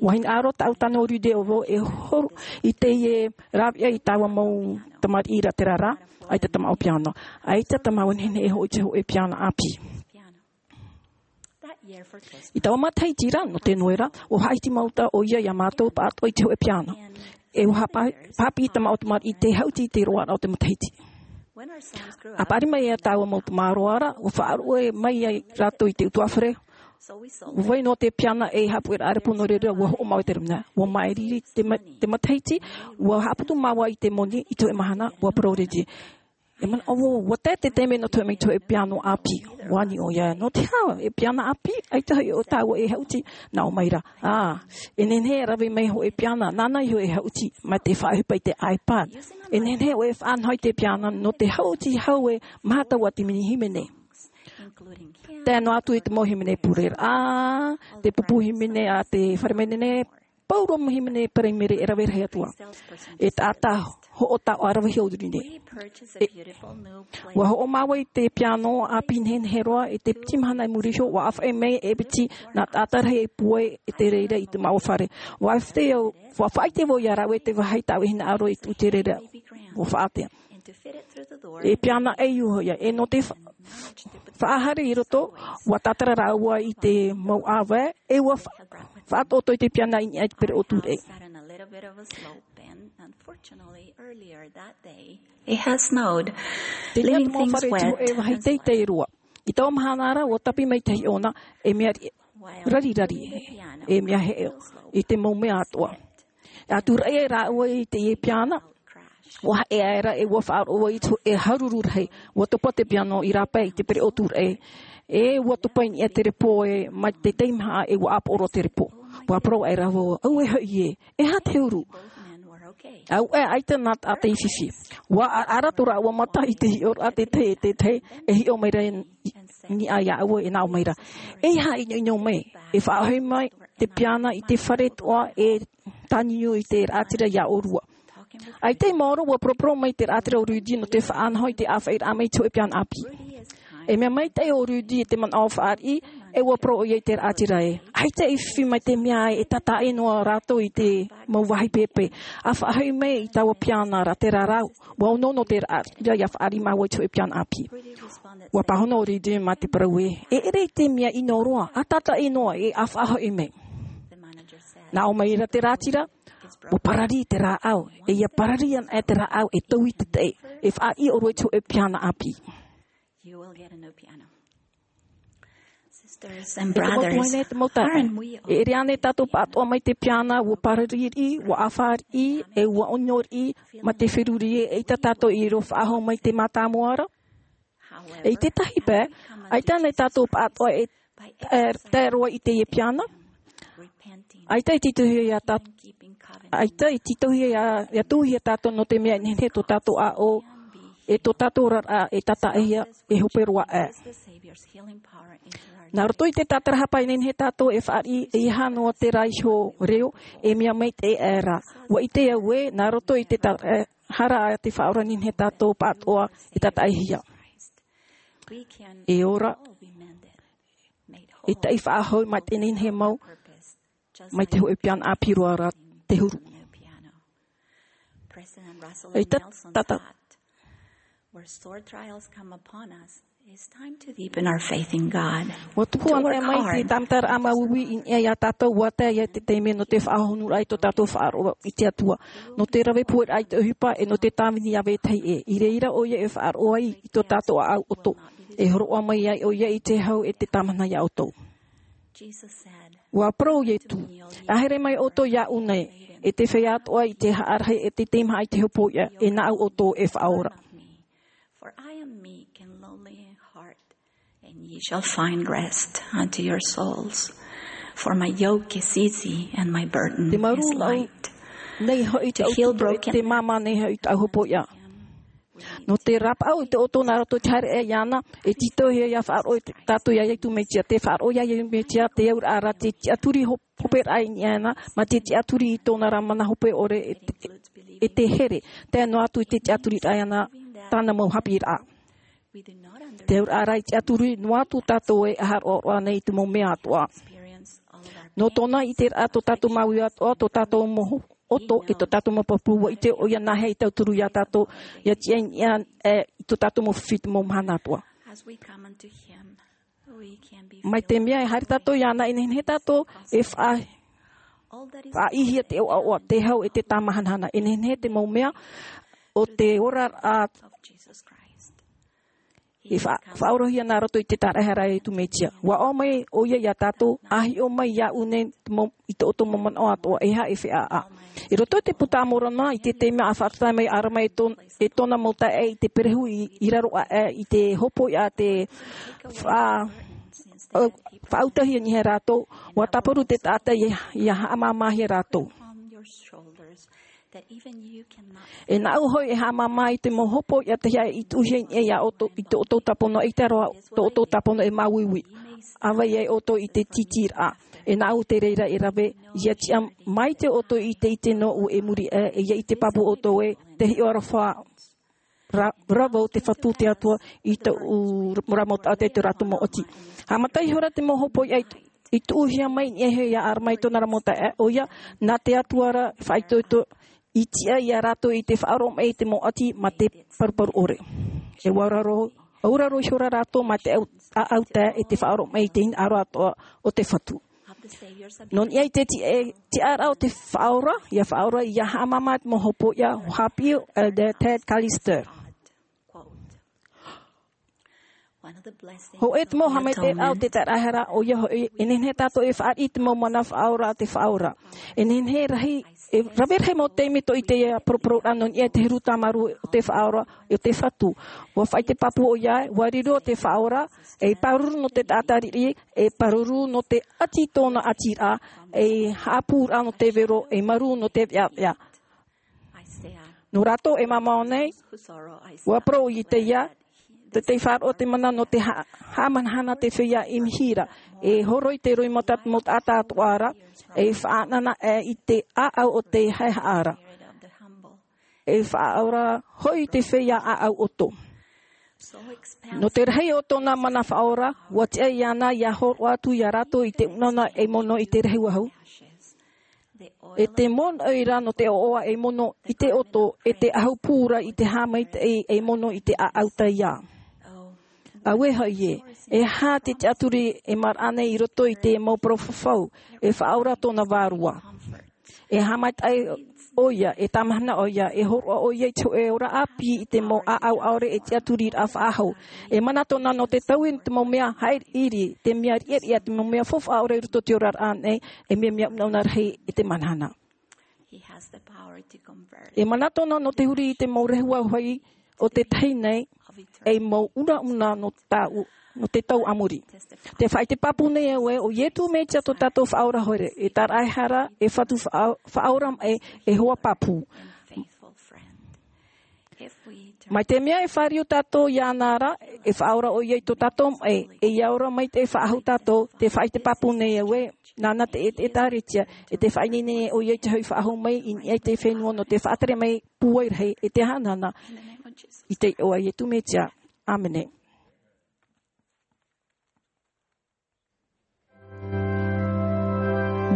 Ua hinaʻaro tāʻu tano Rudy ʻo vau e horo i teie rāveʻa i taua mau tamariʻi ra te rara, ʻaita tamaʻo piano. ʻAita tamaʻo nehenehe e hoʻi i te hōʻē piano ʻāpī. I taua matahiti ra, nō te noera, ua faʻaʻite mau taʻata ʻoia iā mātou pāʻatoʻa i te hōʻē piano. E ua haʻapa-, haʻapiʻi tamaʻo tamariʻi i te haʻuti i te roaraʻa o te matahiti. A paʻari mai ia taua mau tamaroa ra, ua faʻaruʻe mai ai rātou i te ʻutuāfare. Ua vai noa te piano e haʻapuʻeraʻa repo nō reira, ua hoʻomau i te rūmana. Ua maʻiri te ma-, te matahiti, ua haʻaputu māua i te moni, i te hōʻē mahana, ua parau Rudy. E manaʻo vau, ua tae te taime nō te hōʻē piano ʻāpī. Ua ani ʻoia, nō te aha, e piano ʻāpī, ʻaita hoʻi ʻo tāua e haʻuti, nā ʻō mai ra. Ā, e nehenehe e rave mai hōʻē piano, nāna iho e haʻuti, mai te faʻaʻohipa i te iPad. E nehenehe ʻoe e faʻanaho i te piano, nō te haʻuti hau e maha taua te mini hīmene. Tae noa atu i te mau hīmene pureraʻa, te pupu hīmene a te fare manene, pauroa mau hīmene paraimere e rave rahi atu ā. E taʻata hoʻo taoʻa rave hia ʻo Rudy nei. E, ua hoʻo māua i te piano ʻāpī nehenehe roa, i te piti mahana i muri iho, ua ʻāfaʻi mai e piti nā taʻata rahi e pūai i te reira i te māua fare. Ua faʻaʻite au, ua faʻaʻite vau iā rāua i te vāhi tāʻu e hinaʻaro i tuʻu i te reira. Ua faʻaʻite. E piano ʻē iho ia, e nō te fa-, faʻahaere i roto, ua tātara rāua i te mau ʻāvae, e ua fa-, faʻatoʻotoʻo i te piano i niʻa i te pereʻoʻo tūraʻi. It has snowed, leaving things wet. Te reira te mau fare i te hōʻē vāhi teitei roa. I taua mahana ra, ua tāpī mai te hiʻona, e mea ri-, rarirari, e mea heʻe, i te mau mea atoʻa. E tūraʻi ai rāua i teie piano, ua haʻe aʻera e ua faʻaroʻo i te hōʻē haruru rahi, ua topa te piano i rāpae i te pereʻoʻo tūraʻi. E ua topa i niʻa te repo e mai te teimaha e ua ʻāpoʻo roa te repo. Ua parau aʻera vau, auē hoʻi ē, e aha te huru? Auē, ʻaita nā taʻata i fifi. Ua ʻaraʻara tō rāua mata i te hiʻoraʻa te tahi e te tahi, e hiʻo mai ra i niʻa iāʻu e nā ʻō mai ra. E aha e ʻinoʻino mai, e faʻahoʻi mai te piano i te fare toʻa e tāniuniu i te raʻatira iā ʻōrua. ʻAita i maoro, ua poroporo mai te raʻatira o Rudy nō te faʻanaho i te ʻāfaʻiraʻa mai i te hōʻē piano ʻāpī. E mea maitaʻi ʻo Rudy i te manaʻo fāriʻi, e ua parau ʻoia i te raʻatira ē. ʻAita i fifi mai te mea ē, e tātaʻi noa rātou i te mau vāhi pēpē. ʻA faʻahoʻi mai i taua piano ra te rarau. Ua ono nō te raʻatira ia fāriʻi māua i te hōʻē piano ʻāpī. Ua pāhono ʻo Rudy mā te parau ē, e ʻere i te mea ʻino roa, ʻa tātaʻi noa ē, ʻa faʻahoʻi mai. Nā ʻō mai ra te raʻatira, ʻUa parari te rāʻau, e ʻia parari ana e te rāʻau e tauʻi te taʻi, e faʻaʻī ʻōrua i te hōʻē piana ʻāpī. E te mau tuahine, e te mau taeaʻe, e ʻere ānei tātou pāʻatoʻa mai te piana, ʻua parari riʻi, ʻua ʻāfā riʻi, e ʻua ʻōnio riʻi, mā te feruri ē, ʻeita tātou i riro faʻahou mai te mātāmua ra? E i tētahi pae, ʻaita ānei tātou pāʻatoʻa e tae, tae roa i teie piana? ʻAita e tītauhia iā tātou, ʻaita e tītauhia iā, iā tūhia tātou nō te mea e nehenehe tō tātou ʻāʻau, e tō tātou oraraʻa e tātaʻihia, e hope roa aʻe. Nā roto i te tātarahapa e nehenehe tātou e fāriʻi, e ʻeiaha noa terā iho reo, e mea maitaʻi aʻe rā. ʻUa ʻite au ē, nā roto i te tā-, e, hara a te Faʻaora e nehenehe tātou pāʻatoʻa e tātaʻihia. E ora, e taʻi faʻahou mai te nehenehe mau, mai te hōʻē piana ʻāpī roa ra te huru. E ta-, tata. Where sore trials come upon us, it's time to deepen our faith in God. ʻUa tupu ana mai te tāmataraʻa māuiui i niʻa iā tātou, ʻua tae ia te taime nō te faʻahonuraʻa i tō tātou faʻaroʻo i te Atua. Nō te rave pueraʻa i te ʻohipa, e nō te tāvini iā vetahi ʻē. I reira ʻoia e faʻaroʻo ai i tō tātou ʻāʻau ʻoto. E hōroʻa mai ai ʻoia i te hau e te tāmana iā ʻoutou. ʻUa parau Ietu, ā, haere mai ʻoutou iāʻu nei, e te feiā atoʻa i te haʻarahi, e te teimaha i te hopoiʻa, e nāʻu ʻoutou e faʻaora. For I am meek and lowly in heart, and ye shall find rest unto your souls. For my yoke is easy and my burden is light. Te mārū nei hoʻi te ʻau tutu, e te māmā nei hoʻi tāʻu hopoiʻa. Nō te rapaʻau i tō ʻoutou nā roto i te haere iāna, e tītauhia ʻia faʻaroʻo tātou iā Ietu Mesia, te faʻaroʻo iā Ietu Mesia, te auraʻa ra te tiʻaturi hop-, hoperaʻa i niʻa iāna, mā te tiʻaturi i tōna ra mana hope ʻore e te, e te here, tae noa atu i te tiʻaturiraʻa iāna, tāna mau haʻapiʻiraʻa. Te auraʻa ra i tiʻaturi noa atu tātou e ʻaharoʻaroʻa nei i te mau mea atoʻa. Nō tōna ʻiteraʻa tō tātou māuiui atoʻa, tō tātou mau ʻoto, e tō tātou mau pāpū, ʻua ʻite ʻoia nāhea i tauturu iā tātou, ʻia tiʻa i niʻa, e, i tō tātou mau fifi i te mau mahana atoʻa. Mai te mea e haere tātou iāna, e nehenehe tātou e fa-, faʻaʻīhia te ʻoaʻoa, te hau e te tāmahanahana. E nehenehe te mau mea o te oraraʻa e fa-, faʻaorohia nā roto i te tāraʻehara a Ietu Mesia. ʻUa ʻō mai ʻoia iā tātou, ʻa hiʻo mai iāʻu nei te mau, i tō ʻoutou mau manaʻo atoʻa, e aha e feiā. I roto i te Puta a Moromona, i te taime a faʻatae mai ʻo Alama e tō-, e tōna mau taeaʻe i te perehu i, i raro aʻe i te hopoiʻa a te fa-, faʻautahia nei rātou, ʻua tāparu te taʻata ʻia, ʻia haʻamāmāhia rātou. E nāʻu hoʻi e haʻamāmā i te mau hopoiʻa tahi aʻe i tuʻuhia i niʻa iā ʻoutou, i tō ʻoutou tāpono, ʻaita roa tō ʻoutou tāpono e māuiui. ʻAvaʻe ai ʻoutou i te tītīraʻa. E nāʻu te reira e rave, ʻia tiʻa mai te ʻoutou i te ʻite nōʻu e muri aʻe, e ʻia ʻite pāpū ʻoutou ē, te hiʻo aroha ra-, rave o te Fatu te Atua i tōʻu ra-, mau taʻata i tō rātou mau ʻati. Haʻamata ihora te mau hopoiʻa i, i tuʻuhia mai i niʻa iho iā Alama e tōna ra mau taeaʻe, ʻoia, nā te Atua ra faʻaitoito, i tiʻa iā rātou i te faʻaroʻo mai i te mau ʻati mā te paruparu ʻore. E ʻauraro, ʻauraro ihora rātou mā te ʻau-, ʻāʻau tae e te faʻaroʻo mai i te hinaʻaro atoʻa o te Fatu. Nō niʻa i te ti-, e, tiʻaraʻa o te Faʻaora, ʻia faʻaora, ʻia haʻamāmā te mau hopoiʻa, ʻua haʻapiʻi ʻo Elder Ted Callister. Hōʻē te mau haʻamaitaʻiraʻa o te tāraʻehara, ʻoia hoʻi, e nehenehe tātou e fāriʻi i te mau mana faʻaora a te Faʻaora. E nehenehe rahi, e rave rahi mau taime tō ʻite i te paraparauraʻa nō niʻa i te huru tāmarū o te Faʻaora, o te Fatu. ʻUa faʻaʻite pāpū ʻoia, ʻua riro te Faʻaora, ei pāruru nō te taʻata riʻi, ei pāruru nō te ʻati i tōna ʻatiraʻa, ei haʻapūraʻa nō te vero, ei marū nō te veʻaveʻa. Nō rātou e mamao nei, ʻua parau Isaia, tē faʻaroʻo te mana nō te ha-, haʻamanahana te feiā ʻimihira, e horoi te roimata mau taʻata atoʻa ra, e faʻanahonaho i te ʻāʻau o te haʻehaʻa ra. E faʻaora hoʻi te feiā ʻāʻau ʻoto. Nō te rahi o tōna mana faʻaora, ʻua tiʻa iāna ʻia hōroʻa atu iā rātou i te ʻunaʻuna ei mono i te rahi uāhu. E te mono ʻoia nō te ʻoaʻoa ei mono i te ʻoto, e te ʻahu pū ra i te haʻamaitaʻi ei mono i te ʻāʻau taiā. Auē hoʻi ē, e aha te tiʻaturi e maraʻa nei i roto i te mau parau fafau, e faʻaora tōna vārua. E haʻamaitaʻi ʻoia, e tamahana ʻoia, e hōroʻa ʻoia i te hōʻē ora ʻāpī i te mau ʻāʻau ʻaore e tiʻaturiraʻa faʻahou. E mana tōna nō te taui te mau mea haʻiriʻiri, te mea riʻariʻa, te mau mea faufaʻa ʻore i roto i te oraraʻa nei, e mea, mea unauna rahi e te mana hana. He has the power to convert. E mana tōna nō te huri i te mau rehua hoʻi o te tahi nei, ei mau unauna nō tāu, nō te tau a muri. Te faʻaʻite pāpū nei au ē, ʻo Ietu Mesia tō tātou Faʻaora Here, e Taraehara, e Fatu Faʻa-, Faʻaora Maʻi, e hoa pāpū. Mai te mea e fāriu tātou iāna ra, e faʻaora ʻoia i tō tātou maʻi, e ia ora mai te faʻahou tātou, te faʻaʻite pāpū nei au ē, nāna te, e te ʻĒkālesia, e te faʻaineine ʻoia i te hoʻi faʻahou mai, i niʻa i te fenua nō te faʻatere mai pūai rahi, e te haʻanana, i te iʻoa Ietu Mesia. ʻĀmene.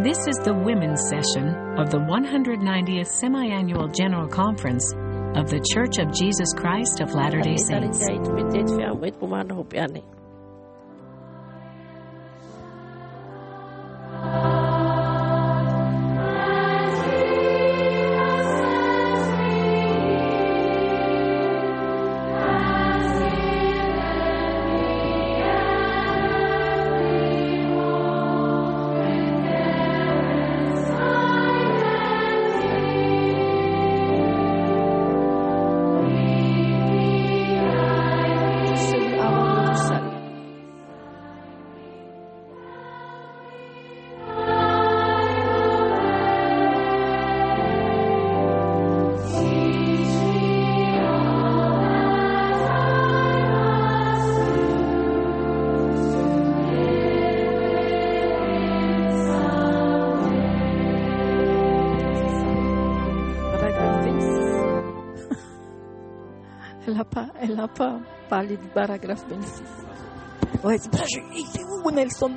This is the women's session of the one hundred ninetieth Semi-Annual General Conference of The Church of Jesus Christ of Latter-day Saints. Paragraphe vingt-six. Elle a pas, elle a pas parlé du paragraphe vingt-six. Ouais, c'est pour ça que je, il est où, Nelson ?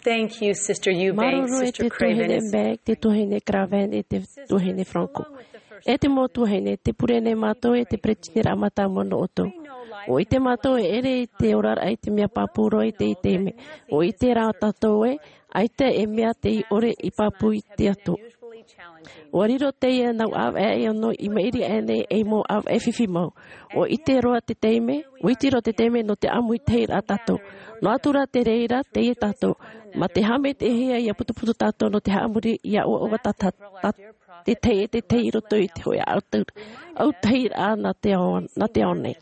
Thank you, Sister Eubank, Māuruuru e Sister te Craven, tuahine Bank, te tuahine Craven, e te tuahine Franco. E te mau tuahine, tē pure nei mātou e te peretiteniraʻa mātāmua nō ʻoutou. ʻUa ʻite mātou e ʻere i te oraraʻa i te mea pāpū roa i teie taime. ʻUa ʻite rā tātou ē, ʻaita e mea tei ʻore i pāpū i te Atua. ʻUa riro teie nau ʻāvaʻe ʻē ono i maʻiri aʻe nei ei mau ʻāvaʻe fifi mau. ʻUa ʻite roa te taime, ʻua iti roa te taime nō te ʻāmuitahiraʻa tātou. Noa atu rā te reira, teie tātou. Mā te haʻamaitaʻihia ʻia putuputu tātou nō te haʻamori ʻia ʻoaʻoa tā, tā, tā, te tahi e te tahi i roto i te hōʻē autahi, autahiraʻa nā te ao, nā te ao nei.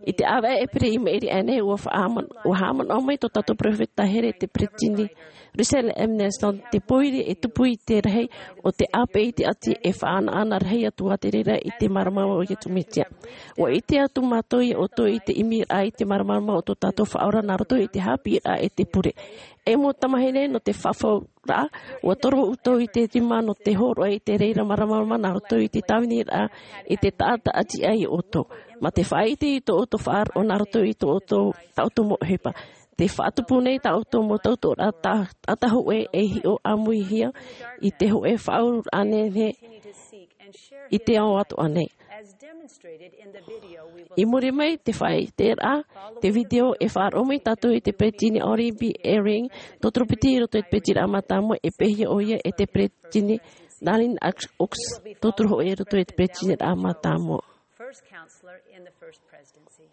I te ʻāvaʻe ʻēpira i maʻiri aʻe nei, ʻua faʻahaʻamana-, ʻua haʻamanaʻo mai tō tātou peropheta here te peretiteni Russell M. Nelson, te pōiri e tupu i te rahi o te ʻāpeʻe i te ʻati e faʻaʻanaʻana rahi atu ā te reira i te māramarama o Iesu Mesia. ʻUa ʻite atu mātou iā ʻoutou i te ʻimiraʻa i te māramarama o tō tātou Faʻaora nā roto i te haʻapiʻiraʻa e te pure. E mau tamāhine nō te faʻafauraʻa, ʻua toro ʻoutou i te rima nō te hōroʻa i te reira māramarama nā roto i te tāviniraʻa i te taʻata ʻati aʻe iā ʻoutou. Mā te faʻaʻite i tō ʻoutou faʻaroʻo nā roto i tō ʻoutou, tā ʻoutou mau ʻohipa. Tē faʻatupu nei tā ʻoutou mau tautooraʻa tā, taʻata hōʻē e hiʻo ʻāmuihia i te hōʻē faʻaueraʻa nei, nei i te ao atoʻa nei. I muri mai te faʻaʻiteraʻa, te video e faʻaroʻo mai tātou i te peretiteni Henry B. Eyring, tauturu piti i roto i te peretiteniraʻa mātāmua, e pēhia ʻoia e te peretiteni Dallin H. Oaks, tauturu hōʻē i roto i te peretiteniraʻa mātāmua. First counselor in the First Presidency.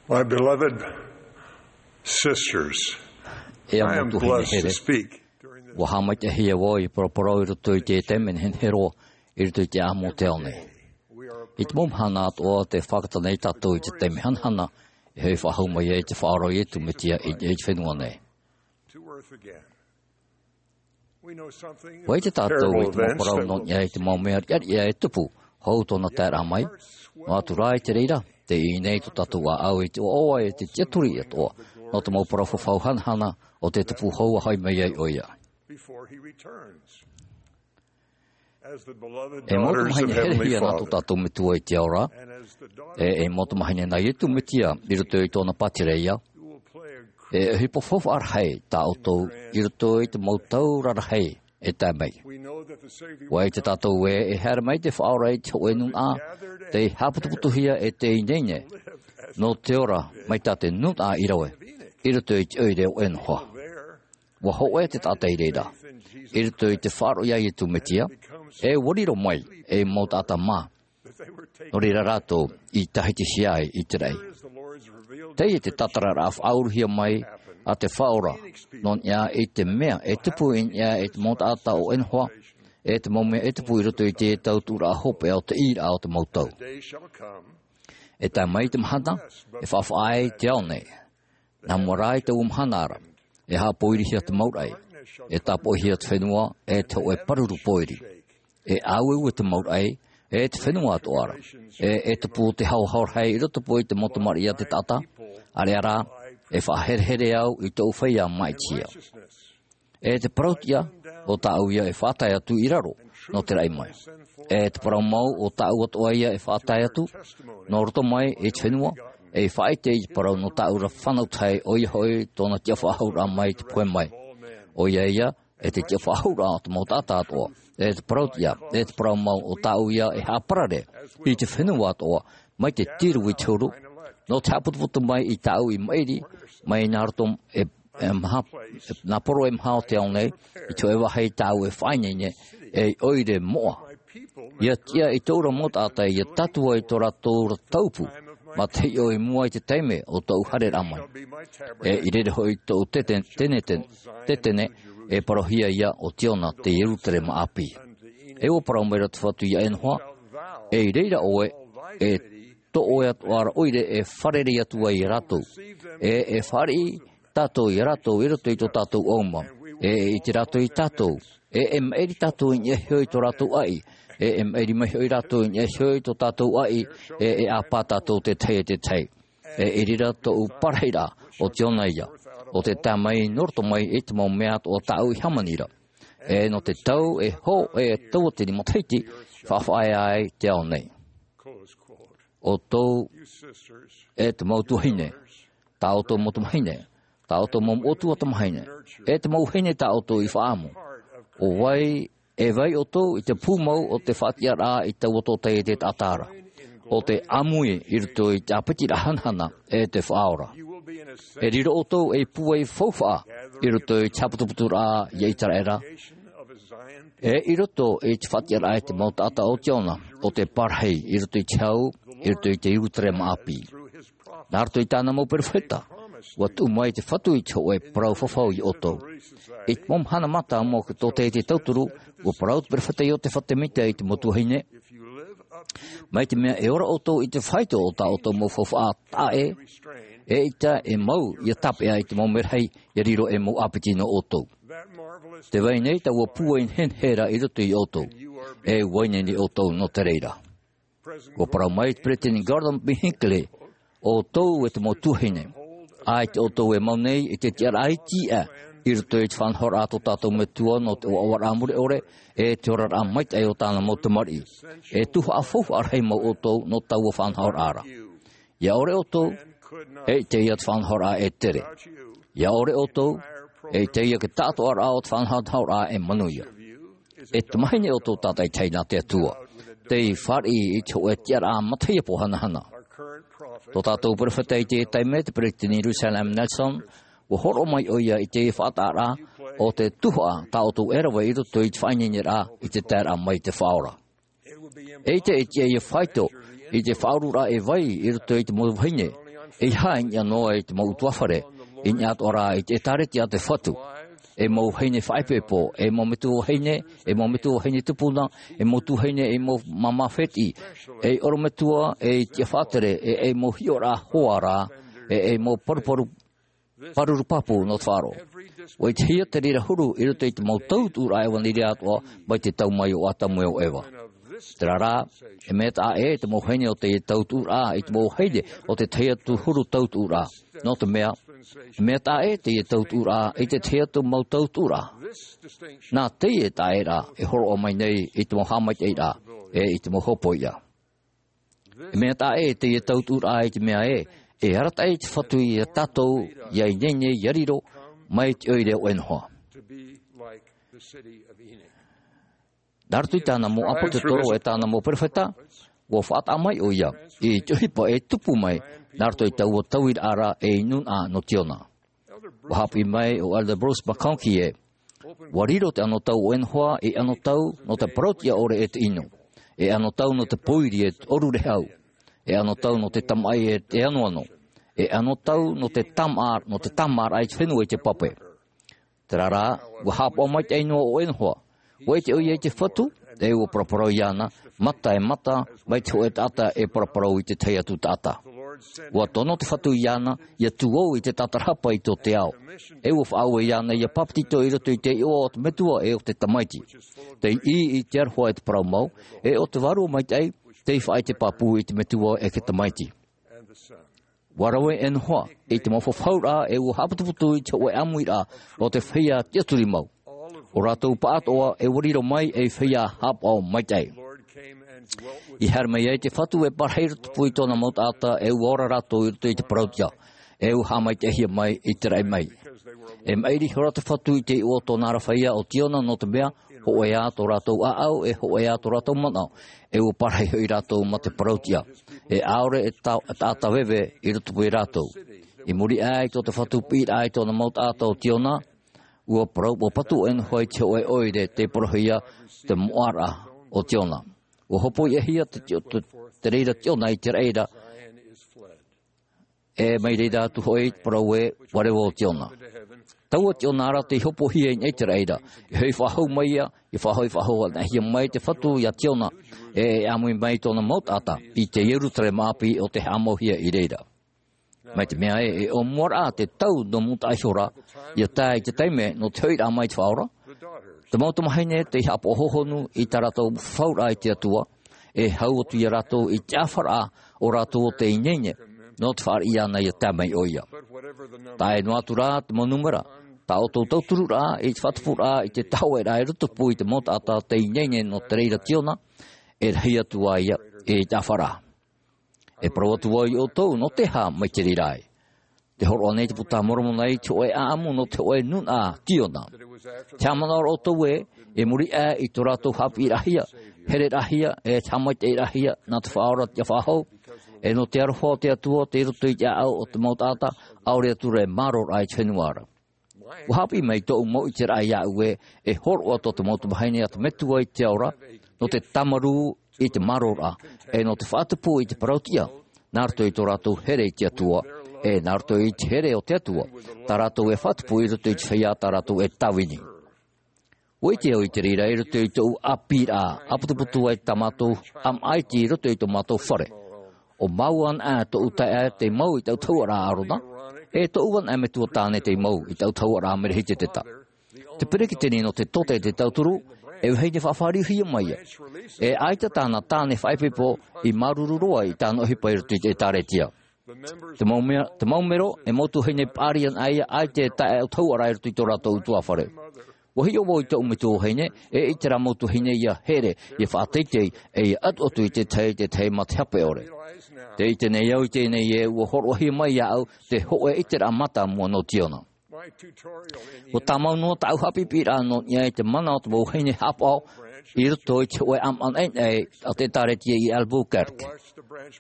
My beloved sisters, E au mau tuahine here, ua haʻamaitaʻihia vau i paraparau i roto i te taime nehenehe roa, i roto i te ʻāʻamu o te ao nei. I te mau mahana atoʻa tē fātata nei tātou i te taime hanahana, e hoʻi faʻahou mai ai te Faʻaora o Iesu Mesia i, i te fenua nei. Ua ʻite tātou i te mau parau nō niʻa i te mau mea riʻariʻa e tupu, hou tōna taeraʻa mai, noa atu rā i te reira, tē ʻī nei tō tātou ʻāʻau i te ʻoaʻoa e te tiʻaturi atoʻa, nō te mau parau fafau hanahana o te tupu hou ʻa hoʻi mai ai ʻoia. E mau tamāhine herehia nā tō tātou Metua i te ao ra, e, e mau tamāhine nā Iesu Mesia i roto i tōna pātireia, E ʻohipa faufaʻa rahi tā ʻoutou i roto i te mau tau rarahi e tae mai. ʻUa ʻite tātou ē, e haere mai te Faʻaora i te hōʻē nūnaʻa, tei haʻaputuputuhia e te ineine nō te ora mai tā te nūnaʻa i rave, i roto i te ʻoire ʻōʻē noa. ʻUa hōʻē te taʻata i reira, i roto i te faʻaroʻo ia Iesu Mesia, e ʻua riro mai ei mau taʻata mā. Nō reira rātou i tahitihia ai i te raʻi. Teie te tātararaʻa faʻauruhia mai a te Faʻaora, nō niʻa i te mea e tupu i niʻa i te mau taʻata ʻōʻē noa, e te mau mea e tupu i roto i te tautuʻuraʻa hopeʻa o te ʻīraʻa o te mau tau. E tae mai te mahana, e faʻafaʻa ai te ao nei. Nā mua rā i taua mahana ra, e haʻapōirihia te mau raʻi, e tāpoʻihia te fenua, e te hōʻē pāruru pōiri. E ʻāueue te mau raʻi, e te fenua atoʻa ra. E, e tupu te haohaoraʻa i roto pū i te mau tamariʻi a te taʻata, ʻāreʻa rā, e faʻaherehere au i tōʻu feiā maʻitihia. E te parauʻtiʻa, ʻo tāʻu ia e faʻatae atu i raro, nō te raʻi mai. E te parau mau, ʻo tāʻu atoʻa ia e faʻatae atu, nō roto mai i te fenua, e faʻaʻite i te parau nō tāʻu ra fānau tahi, ʻoia hoʻi tōna tiʻafaʻahouraʻa mai te pohe mai. ʻOia ia, e te tiʻafaʻahouraʻa o te mau taʻata atoʻa. E te parauʻtiʻa, e te parau mau ʻo tāʻu ia e haʻaparare, i te fenua atoʻa, mai te tiru i te huru, nō te haʻaputuputu mai i tāʻu i maʻiri, mai nā roto e, e maha, e, nā poro e maha o te ao nei, i te hōʻē vāhi tāʻu e faʻaineine, ei ʻoire moʻa. ʻIa tiʻa i tōʻu ra mau taʻata ʻia tātua i tō rātou ra taupu, mā te hiʻo i mua i te taime o tōʻu haereraʻa mai. E i reira hoʻi tōʻu tete-, teneten-, tetene, e parauhia ia ʻo Ziona te Ierusalema ʻāpī. E ʻua parau mai ra te Fatu ia Enoha, e i reira ʻoe, e tō ʻoe atoʻa ra ʻoire e fārerei atu ai ia rātou. E, e fāriʻi tātou ia rātou i roto i tō tātou ʻauma. E, e ʻite rātou ia tātou. E, e maʻiri tātou i niʻa iho i tō rātou ʻaʻi. E, e maʻiri mai hoʻi rātou i niʻa iho i tō tātou ʻaʻi. E, e ʻāpā tātou te tahi e te tahi. E, i reira tōʻu parahiraʻa, ʻo Ziona ia. ʻO te tae mai nō roto mai i te mau mea atoʻa tāʻu i hāmani ra. E, nō te tau, e hō, e tauatini matahiti, faʻafaʻaea ai te ao nei. ʻO tō, e te mau tuahine, tā ʻoutou mau tamahine, tā ʻoutou mau moʻotua tamahine, e te mau vahine tā ʻoutou i faʻaʻamu. ʻO vai, e vai ʻoutou i te pūmau o te faʻatiʻaraʻa i taua tōtaiete taʻata ra. ʻO te ʻāmui i roto i te ʻāpitiraʻa hanahana, e te Faʻaora. E riro ʻoutou ei pūai faufaʻa i roto i te haʻaputuputuraʻa ia Iteraera. E i roto i te faʻatiʻaraʻa i te mau taʻata o Ziona, ʻo te parahi i roto i te hau, i roto i te Ierusalema ʻāpī. Nā roto i tāna mau perofeta, ʻua tuʻu mai te Fatu i te hōʻē parau fafau ia ʻoutou. I te mau mahana mātāmua o te tōtaiete tauturu, ʻua parau te perofeta Iosepha Semita i te mau tuahine, mai te mea e ora ʻoutou i te faito o tā ʻoutou mau faufaʻa taʻa ʻē, eʻita e mau ʻia tāpeʻa i te mau merahi ʻia riro ei mau ʻāpiti nō ʻoutou. Tē vai nei taua pūai nehenehe ra i roto ia ʻoutou, e ʻua ʻite nei ʻoutou nō te reira. ʻUa parau mai te Peresideni Gordon B. Hinckley, ʻoutou e te mau tuahine, ʻaita ʻoutou e mau nei i te tiʻaraʻa iti aʻe i roto i te faʻanahoraʻa a tō tātou Metua nō te ʻoaʻoaraʻa mure ʻore, e te oraraʻa maitaʻi o tāna mau tamariʻi. E tuhaʻa faufaʻa rahi mau ʻoutou nō taua faʻanahoraʻa ra. ʻIa ʻore ʻoutou, eʻita ia te faʻanahoraʻa e tere. ʻIa ʻore ʻoutou, eʻita ia te taʻatoʻaraʻa o te faʻanahoraʻa e manuia. E tamahine ʻoutou tātaʻitahi nā te Atua, tei fāriʻi i te hōʻē tiʻaraʻa matahiapo hanahana. Tō tātou perofeta i teie taime, te Peresideni Russell M. Nelson, ʻua hōroʻa mai ʻoia i te faʻataʻaraʻa o te tuhaʻa tā ʻoutou e rave i roto i te faʻaineineraʻa i te taeraʻa mai i te Faʻaora. Eʻita e tiʻa ʻia faito i te faʻaururaʻa e vai i roto i te mau vahine, ʻeiaha i niʻa noa i te mau ʻutuāfare, i niʻa atoʻa ra i te ʻĒtārētia a te Fatu. Ei mau vahine faʻaipoipo, ei mau metua vahine, ei mau metua vahine tupuna, ei mau tuahine, ei mau māmā fētiʻi, ei ʻorometua, ei tiʻa faʻatere, e ei mau hiʻoraʻa hoa ra, e ei mau paruparu pāruru pāpū nō te faʻaroʻo. ʻUa ʻitehia te reira huru i roto i te mau tautuʻuraʻa ʻevanelia atoʻa mai te tau mai o Atamu e o Eva. Terā rā, e mea taʻa ʻē te mau vahine o teie tautuʻuraʻa i te mau vahine o te tahi atu huru tautuʻuraʻa. Nō te mea, e mea taʻa ʻē teie tautuʻuraʻa i te tahi atu mau tautuʻuraʻa. Nā teie taʻaʻēraʻa e hōroʻa mai nei i te mau haʻamaitaʻiraʻa, e i te mau hōpoiʻa. E mea taʻa ʻē teie tautuʻuraʻa i te mea ē, E arataʻi te Fatu iā tātou, ʻia ineine, ʻia riro mai te ʻoire o Enoha. Nā roto i tāna mau ʻāpōsetolo e tāna mau perofeta, ʻua faʻataʻa mai ʻoia i te ʻohipa e tupu mai nā roto i taua tauiraʻa ra e nūnaʻa nō Tiona. ʻUa haʻapiʻi mai ʻo Elder Bruce McConkie ē, ʻua riro te anotau o Enoha ei anotau nō te parautiʻa ʻore e te ʻino, e anotau nō te pōiri e te ʻōrurehau, e anotau nō te tamaʻi e te anoano, e anotau nō te tama-, nō te tāmāraʻa i te fenua i te pape. Terā rā, ʻua haʻapaʻo maitaʻi noa ʻo Enoha. ʻUa ʻite ʻoia i te Fatu, e ʻua paraparau iāna, mata e mata, mai te hōʻē taʻata e paraparau i te tahi atu taʻata. ʻUa tono te Fatu iāna, ʻia tū au i te tatarahapa i tō te ao. E ʻua faʻaue iāna ʻia papetito i roto i te iʻoa o te Metua e o te Tamaiti. Tei ʻī i te aroha e te parau mau, e o te Vārua Maitaʻi, tei faʻaʻite pāpū i te Metua e te Tamaiti. ʻUa rave Enoha i te mau fafauraʻa e ʻua haʻaputuputu i te hōʻē ʻāmuiraʻa o te feiā tiʻaturi mau. ʻO rātou pāʻatoʻa e ʻua riro mai ei feiā haʻapaʻo maitaʻi. I haere mai ai te Fatu e parahi i rotopū i tōna mau taʻata e ʻua ora rātou i roto i te parautiʻa, e ʻua haʻamaitaʻihia mai i te raʻi mai. E maʻiri ihora te Fatu i te iʻoa o tōna ra feiā o Tiona nō te mea, hōʻē ā tō rātou ʻāʻau, e hōʻē ā tō rātou manaʻo, e ʻua parahi hoʻi rātou mā te parautiʻa. E ʻaore e ta-, taʻata veve i rotopū ia rātou. I muri aʻe i tō te Fatu piʻiraʻa i tōna mau taʻata o Tiona, ʻua parau, ʻua patu Enoha i te hōʻē ʻoire tei parauhia te moʻaraʻa o Tiona. ʻUa hopoiʻahia te tio-, te, te reira Tiona i te raʻi ra, e mai reira atu hoʻi te parau ē, ʻua reva ʻo Tiona. Taua Tiona ra tei hopohia i niʻa i te raʻi ra, e hoʻi faʻahou mai ia, e faʻahou, faʻahou anaʻe hia mai te Fatu iā Tiona, e, e ʻāmui mai tōna mau taʻata, i te Ierutarema ʻāpī ʻo tē haʻamauhia i reira. Mai te mea ē, e ʻōmuaraʻa te tau nō mua taʻa ihora, ʻia tae i te taime nō te hoʻiraʻa mai te Faʻaora, te mau tamahine tei haʻapaʻo hōhonu i tā rātou fafauraʻa i te Atua, e hau atu ia rātou i te ʻāfaraʻa o rātou o tē ineine, nō te fāriʻi iāna ʻia tae mai ʻoia. Tae noa atu rā te mau nūmera, tā ʻoutou tautururaʻa i te faʻatupuraʻa i te tahoʻēraʻa i rotopū i te mau taʻata tē ineine nō te reira Tiona, e rahi atu ā ia i te ʻāfaraʻa. E parau atu vau ia ʻoutou, nō te aha mai te reira ē? Tē hōroʻa nei te Buka a Moromona i te hōʻē ʻāʻamu nō te hōʻē nūnaʻa Tiona. Tē haʻamanaʻo ra ʻoutou ē, i muri aʻe i tō rātou haʻapiʻiraʻahia, hereraʻahia, e te haʻamaitaʻiraʻahia nā te Faʻaora ʻia faʻahou, e nō te aroha o te Atua tei roto i te ʻāʻau o te mau taʻata, ʻaore atu rā e māroraʻa i te fenua ra. ʻUa haʻapiʻi mai tōʻu mau ʻiteraʻa iāʻu ē, e hōroʻa tō te mau tamahine a te Metua i te ao ra, nō te tāmarū i te māroraʻa, e nō te faʻatupu i te parautiʻa, nā roto i tō rātou here i te Atua, e nā roto i te here o te Atua, tā rātou e faʻatupu i roto i te feiā tā rātou e tāvini. ʻUa ʻite au i te reira i roto i tōʻu ʻāpīraʻa, ʻāputuputu ai tā mātou ʻāmaʻa iti i roto i tō mātou fare. ʻO māua anaʻe tōʻu taeaʻe tei mau i taua tahuʻaraʻa Arona, e tōʻu anaʻe metua tāne tei mau i taua tahuʻaraʻa Merehitetetā. Te peretiteni nō te tōtē e te tauturu, e vahine faʻafāriuhia mai ia. E ʻaita tāna tāne faʻaipoipo i māuruuru roa i tāna ʻohipa i roto i te ʻĒtārētia. Te mau mea, te mau mero, e mau tuahine paʻari anaʻe ia, ʻaita e taeaʻe tahuʻaraʻa i roto i tō rātou ʻutuāfare. ʻUa hiʻo vau i tōʻu metua vahine, e ʻite rā mau tuahine ʻia here, ʻia faʻateitei, e ʻia ʻatuʻatu i te tahi, te tahi mā te hape ʻore. Tē ʻite nei au i teie nei ē, ʻua hōroʻahia mai iāʻu te hōʻē ʻiteraʻa mātāmua nō Tiona. ʻUa tāmau noa tāʻu haʻapiʻiraʻa nō niʻa i te mana o te mau vahine haʻapaʻo i roto i te hōʻē ʻāmaʻa naʻinaʻi a te ʻĒtārētia i Albuquerque.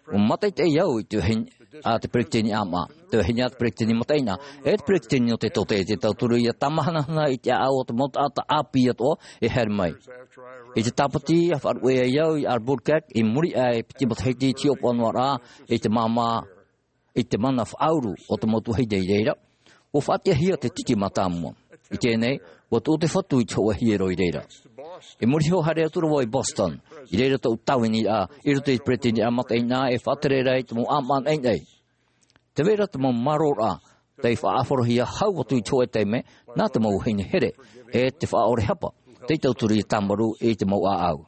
ʻUa mātaʻitaʻi au i te vahine, a te peretiteni ʻāmaʻa, te vahine a te peretiteni mataʻeinaʻa, e te peretiteni nō te tōtē e te tauturu ʻia tāmahanahana i te ʻāʻau o te mau taʻata ʻāpī atoʻa e haere mai. I te tāpati, ʻa faʻaruʻe ai au i Albuquerque, i muri aʻe i te piti matahiti i te hiʻopoʻa noa ra, i te māmā, i te mana faʻauru o te mau tuahine i reira, ʻua faʻatiʻahia te titi mātāmua. I teie nei, ʻua tuʻu te Fatu i te hōʻē hiero i reira. I muri iho haere atu ra vau i Boston, i reira tōʻu tāviniraʻa, i roto i te peretiteniraʻa mataʻeinaʻa e faʻatere ra i te mau ʻāmaʻa naʻinaʻi. Tē vai ra te mau māroraʻa, tei faʻaʻāfarohia hau atu i te hōʻē taime, nā te mau vahine here, e te faʻaʻore hapa, tei tauturu ʻia tāmarū i te mau ʻāʻau.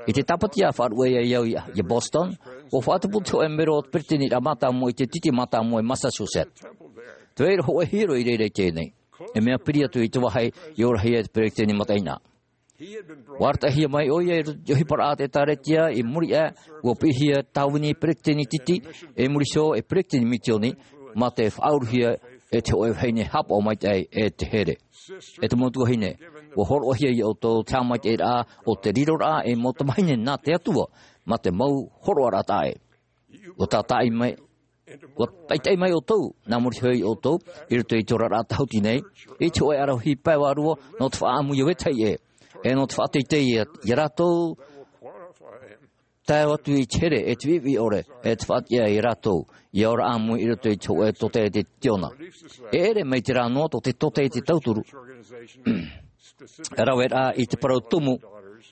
I te tāpati ʻa faʻaruʻe ai au i, i Boston, ʻua faʻatupu te hōʻē mero o te peretiteniraʻa mātāmua i te titi mātāmua i Massachusetts. Tē vai ra hōʻē hiero i reira i teie nei. E mea piri atu i te vāhi i orahia e te peretiteni mataʻeinaʻa. Ua arataʻihia mai ʻo ia i roto i te ʻohiparaʻa a te ʻĒtārētia i muri aʻe, ua piʻihia tāvini peretiteni Titi, i muri iho e peretiteni Misioni, mā te faʻauruhia e te hōʻē vahine haʻapaʻo maitaʻi e te here. E te mau tuahine, ua hōroʻahia ia ʻoutou te haʻamaitaʻiraʻa o te riroraʻa ei mau tamāhine nā te Atua, mā te mau hōroʻaraʻa taʻa ʻē. Ua tātaʻi mai, ua taʻitaʻi mai ʻoutou, nā muri iho ia ʻoutou, i roto i te oraraʻa tāhuti nei, i te hōʻē ʻaravihi pae vārua, nō te faʻaʻamu i ʻō e tahi ʻē, e nō te faʻateitei ia, ia rātou, tae atu i te here, e te viʻiviʻi ʻore, e te faʻatiʻa ia rātou, ia ora ʻāmui i roto i te hōʻē tōtaiete Tiona. E ʻere mai te rā noa tō te tōtaiete tauturu, e rave rā i te parau tumu,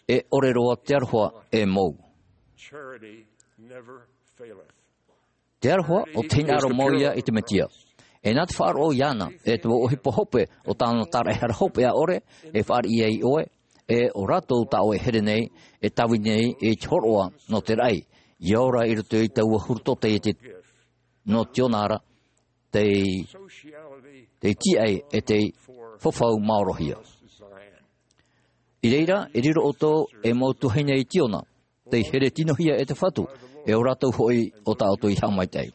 e ʻore roa te aroha e mou. Te aroha o te hinaʻaro mau ia i te Mesia. E nā te faʻaroʻo iāna, e te mau ʻohipa hope o tāna tāraʻehara hopeʻa ʻore, e fāriʻi ai ʻoe, e ʻo rātou tā ʻoe e here nei, e tāvini nei, i te hōroʻa nō te raʻi, ia ora i roto i taua huru tōtaiete nō Tiona ra, tei, tei tīaʻi, e tei fafau maorohia. I reira, e riro ʻoutou ei mau tuahine i Tiona, tei here tinohia e te Fatu, e ʻo rātou hoʻi o tā ʻoutou i haʻamaitaʻi.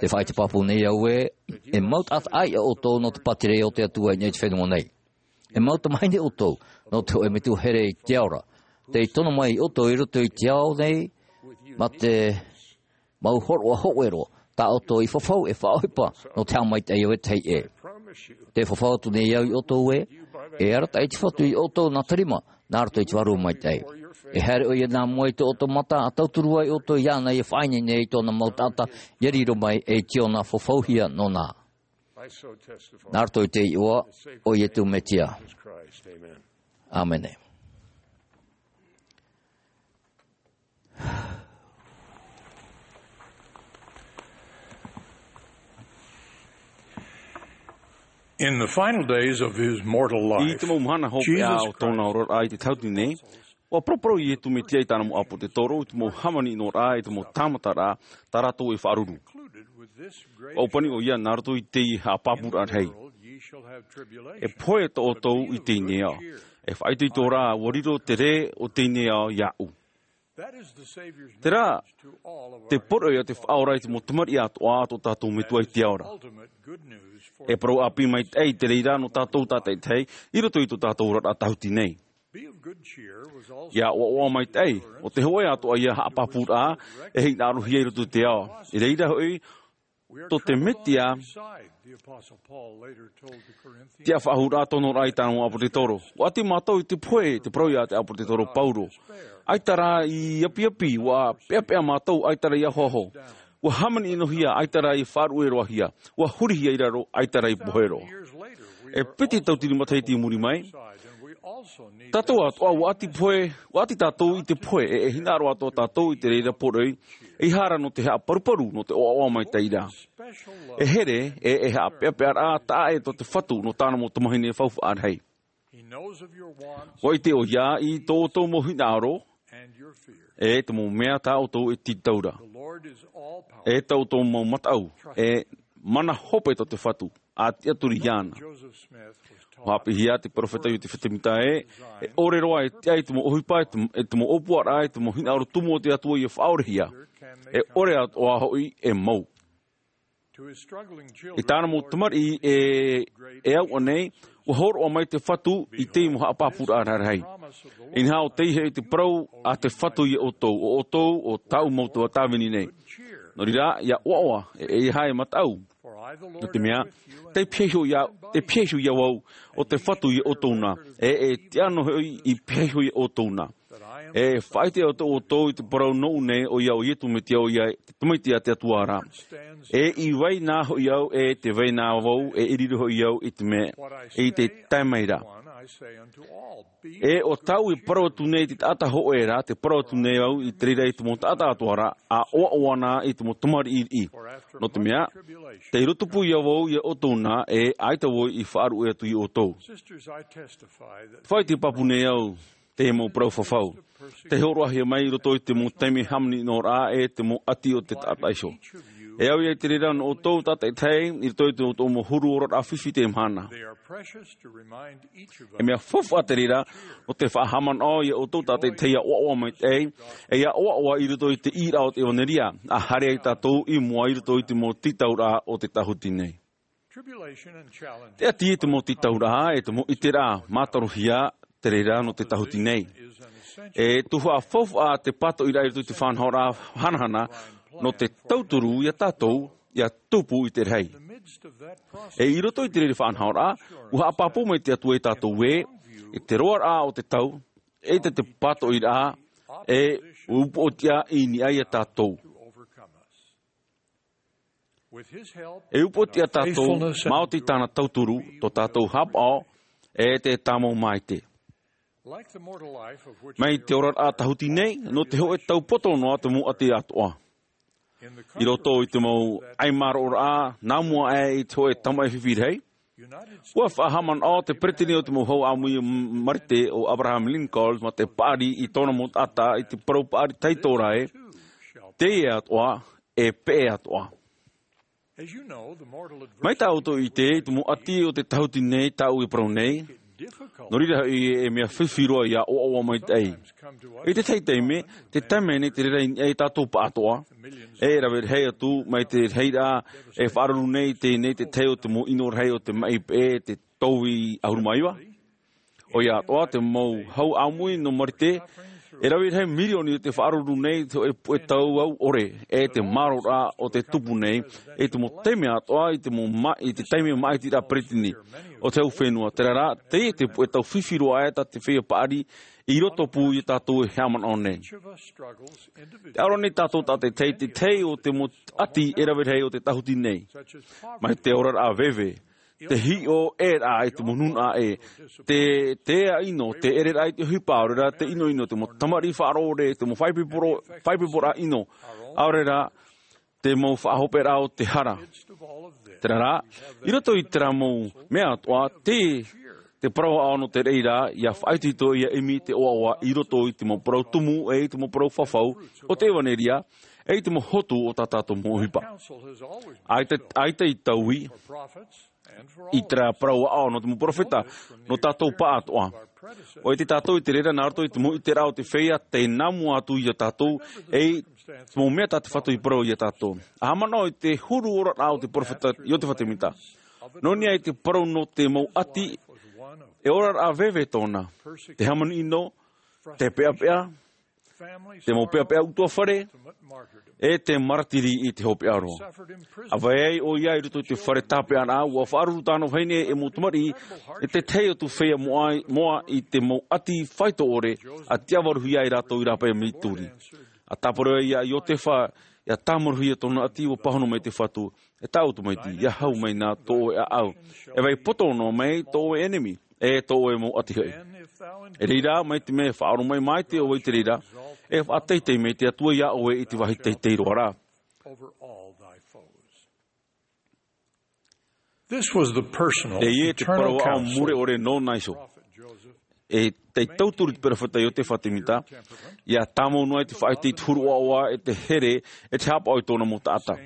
Tē faʻaʻite pāpū nei au ē, e mau taʻata ʻāiʻa ʻoutou nō te pātireia o te Atua i niʻa i te fenua nei. E mau tamāhine ʻoutou, nō te hōʻē metua here i te ao ra. Tei tono mai ʻoutou i roto i te ao nei, mā te mau hōroʻa hōʻē roa, tā ʻoutou i fafau e faʻaʻohipa nō te haʻamaitaʻi o ētahi ʻē. Tē fafau atu nei au ia ʻoutou ē, e arataʻi te Fatu ia ʻoutou nā te rima, nā roto i te Vārua Maitaʻi. E haere ʻoia nā mua i tō ʻoutou mata, ʻa tauturu ai ʻoutou iāna ia faʻaineine i tōna mau taʻata, ia riro mai ei Tiona fafauhia nōna. Nā roto i te iʻoa o Iesu Mesia. ʻĀmene. In the final days of his mortal life, I te mau mahana hopeʻa o tōna oraraʻa i te tāhuti nei, ua paraparau Iesu Mesia i tāna mau ʻāpōsetolo, i te mau hāmani noraʻa, i te mau tāmataraʻa, tā rātou e faʻaruru. Ua ʻōpani ʻoia nā roto i te haʻapāpūraʻa rahi. E pohe tō ʻoutou i teie nei ao. E faʻaitoito rā, ua riro te rē o teie nei ao iāʻu. Terā te poroʻi a te Faʻaora i te mau tamariʻi atoʻa a tō tātou Metua i te ao ra. E parau ʻāpī maitaʻi te reira nō tātou tātaʻitahi i roto i tō tātou oraraʻa tāhuti nei. Ia ʻoaʻoa maitaʻi, ʻo te hōʻē atoʻa ia haʻapāpūraʻa e hinaʻarohia i roto i te ao. I reira hoʻi, tō te Mesia, te faʻahouraʻa tōna oraraʻa i tāna mau ʻāpōsetolo. ʻUa ʻati mātou i te pohe, te parau a te ʻāpōsetolo Paulo. ʻAita rā i apiapi, ʻua peʻapeʻa mātou, ʻaita rā i ahoaho. ʻUa hāmani-ʻino-hia, ʻaita rā i faʻaruʻe-roa-hia. ʻUa hurihia i raro, ʻaita rā i pohe roa. E piti tauatini matahiti i muri mai, tātou atoʻa, ʻua ʻati pohe, ʻua ʻati tātou i te pohe, e, e hinaʻaro atoʻa tātou i te reira poroʻi, ʻeiaha rā nō te haʻaparuparu, nō te ʻoaʻoa maitaʻi ra. E here, e, e haʻapeʻapeʻaraʻa taʻa ʻē tō te Fatu, nō tāna mau tamāhine faufaʻa rahi. ʻUa ʻite ʻoia i tō ʻoutou mau hinaʻaro, e te mau mea tā ʻoutou e tītau ra. E tō ʻoutou mau mataʻu, e mana hope tō te Fatu, ʻa tiʻaturi iāna. ʻUa haʻapiʻihia te peropheta Iosefa Sāmita ē, e ʻore roa e tiʻa i te mau ʻohipa, e te, e te mau ʻōpuaraʻa, e te mau hinaʻaro tumu o te Atua ia faʻaorehia. E ʻore atoʻa hoʻi e mou. I tāna mau tamariʻi e, e au ʻanei, ʻua hōroʻa mai te Fatu i te mau haʻapāpūraʻa rarahi. Inaha ʻo tei hoʻi te parau a te Fatu ia ʻoutou, ʻo ʻoutou, ʻo tāʻu mau tuatāvini nei. Nō reira, ia ʻoaʻoa, e, ʻeiaha e mataʻu. Nō te mea, tei pihaʻi iho ia, tei pihaʻi iho ia vau, ʻo te Fatu ia ʻoutou na, e, e tiʻa noa hoʻi i pihaʻi iho ia ʻoutou na. E faʻaʻite atoʻa ʻoutou i te parau nōʻu nei, ʻoia ʻo Iesu Mesia, ʻoia te Tamaiti a te Atua ra. E i vai na hoʻi au, e tē vai na vau, e i riro hoʻi au i te mea, i te tae mai ra. E ʻo tāʻu e parau atu nei i te taʻata hōʻē ra, tē parau atu nei au i te reira i te mau taʻata atoʻa ra, ʻa ʻoaʻoa na i te mau tamariʻi riʻi. Nō te mea, tei roto pū ia vau ia ʻoutou na, e ʻaita vau i faʻaruʻe atu ia ʻoutou. Faʻaʻite pāpū nei au, te mau parau fafau. Tē hōroʻahia mai i roto i te mau taime hāmani-ʻino-raʻa, e te mau ʻati o te taʻata iho. E au ia i te reira nō ʻoutou tātaʻitahi i roto i tō ʻoutou mau huru oraraʻa fifi i teie mahana. E mea faufaʻa te reira nō te faʻahaʻamanaʻo ia ʻoutou tātaʻitahi ia ʻoaʻoa maitaʻi, e ia ʻoaʻoa i roto i te ʻīraʻa o te ʻevanelia, a haere ai tātou i mua i roto i te mau tītauraʻa o te tāhuti nei. Te ʻati i te mau tītauraʻa e te mau ʻiteraʻa mātarohia te reira nō te tāhuti nei. E tuhaʻa faufaʻa te pātoʻiraʻa i roto i te faʻanahoraʻa hanahana nō te tauturu ia tātou ia tupu i te rahi. E i roto i te reira faʻanahoraʻa, ua haʻapāpū mai te Atua ia tātou ē, i te roaraʻa o te tau, e te, te pātoʻiraʻa, e upoʻotiʻa i niʻa ia tātou. E upoʻotiʻa tātou, maoti tāna tauturu, tō tātou haʻapaʻo, e te tāmau maite. Mai te oraraʻa tāhuti nei, nō te hōʻē tau poto noa te mau ʻati atoʻa. I roto i te mau ʻaimāroʻoraʻa, nā mua aʻe i te hōʻē tamaʻi fifi rahi, ua faʻahaʻamanaʻo te peretiteni o te mau hau ʻāmui marite ʻo Abraham Lincoln, mā te paʻari i tōna mau taʻata, i te parau paʻari tahito ra ē, teie atoʻa, e peʻe atoʻa. Mai tā ʻoutou i ʻite, i te mau ʻati o te tāhuti nei tāʻu e parau nei, nō reira hoʻi e mea fifi roa ia ʻoaʻoa maitaʻi. I te tahi taime, te taime nei te reira i niʻa ia tātou pāʻatoʻa, e rave rahi atu, mai te rahiraʻa, e faʻaruru nei, teie nei te tahi o te mau ʻino rahi o te maʻi peʻe, te tōvī ʻahuru mā iva. ʻOia atoʻa te mau hau ʻāmui nō marite, e rave rahi mirioni te faʻaruru nei te hōʻē puʻe tau au ʻore, e te māroraʻa o te tupu nei, e te mau taime atoʻa, i te mau ma-, i te taime maʻitiraʻa peretiteni o te hau fenua, terā rā, teie te puʻe tau fifi roa aʻe tā te feiā paʻari, i roto pū ia tātou e haʻamanaʻo nei. Te ʻaore nei tātou tātaʻitahi, te tahi o te mau ʻati e rave rahi o te tāhuti nei. Mai te oraraʻa veve, te hiʻo ʻē rā i te mau nūnaʻa ē, te, te ʻino, te ʻereraʻa i te ʻohipa, ʻaore rā te ʻinoʻino, te mau tamariʻi faʻaroʻo, te mau faʻaipoiporaʻa ʻino, ʻaore rā te mau faʻahopeʻaraʻa o te hara. Terā rā, i roto i terā mau mea atoʻa, te, te parau aʻo nō te reira, ia faʻaitoito ia ʻimi te ʻoaʻoa i roto i te mau parau tumu, e i te mau parau fafau, o te ʻevanelia, e i te mau hotu o tā tātou mau ʻohipa. ʻAita, ʻaita i taui, i terā parau aʻo nō te mau perofeta, nō tātou pāʻatoʻa. ʻOia tātou i te reira nā roto i te mau ʻiteraʻa o te feiā, tei nā mua atu ia tātou, e i te mau mea tā te Fatu i parau ia tātou. ʻA haʻamanaʻo i te huru oraraʻa o te perofeta Iotefa Temita. Nō niʻa i te parau nō te mau ʻati, e oraraʻa veve tōna. Te hāmani ʻino, te peʻapeʻa, te mau peʻapeʻa ʻutuāfare, e te maratiri i te hopeʻa roa. ʻA vai ai ʻoia i roto i te fare tāpeʻaraʻa, ua faʻaruru tāna vahine e mau tamariʻi, e te tahi atu feiā moʻa, moʻa i te mau ʻati faito ʻore, ʻa tiʻavaruhia ai rātou i rāpae Misituri. ʻA tāparu ai ia Iotefa, ʻia tāmaruhia tōna ʻati, ua pāhono mai te Fatu, e tāʻu tamaiti, ʻia hau mai nā tō ʻoe ʻāʻau. E vai poto noa mai tō ʻoe ʻenemi, e tō ʻoe mau ʻati hoʻi. E reira, mai te mea e faʻaoromaʻi maitaʻi ʻoe i te reira, e faʻateitei mai te Atua ia ʻoe i te vāhi teitei roa ra. This was the personal, Teie te eternal parau aʻo counsel mure ʻore nō Naiso. E tei tauturu te perofeta Iotefa Temita, ʻia tāmau noa i te faʻaʻite i te huru ʻoaʻoa, e te here, e te haʻapaʻo i tōna mau taʻata.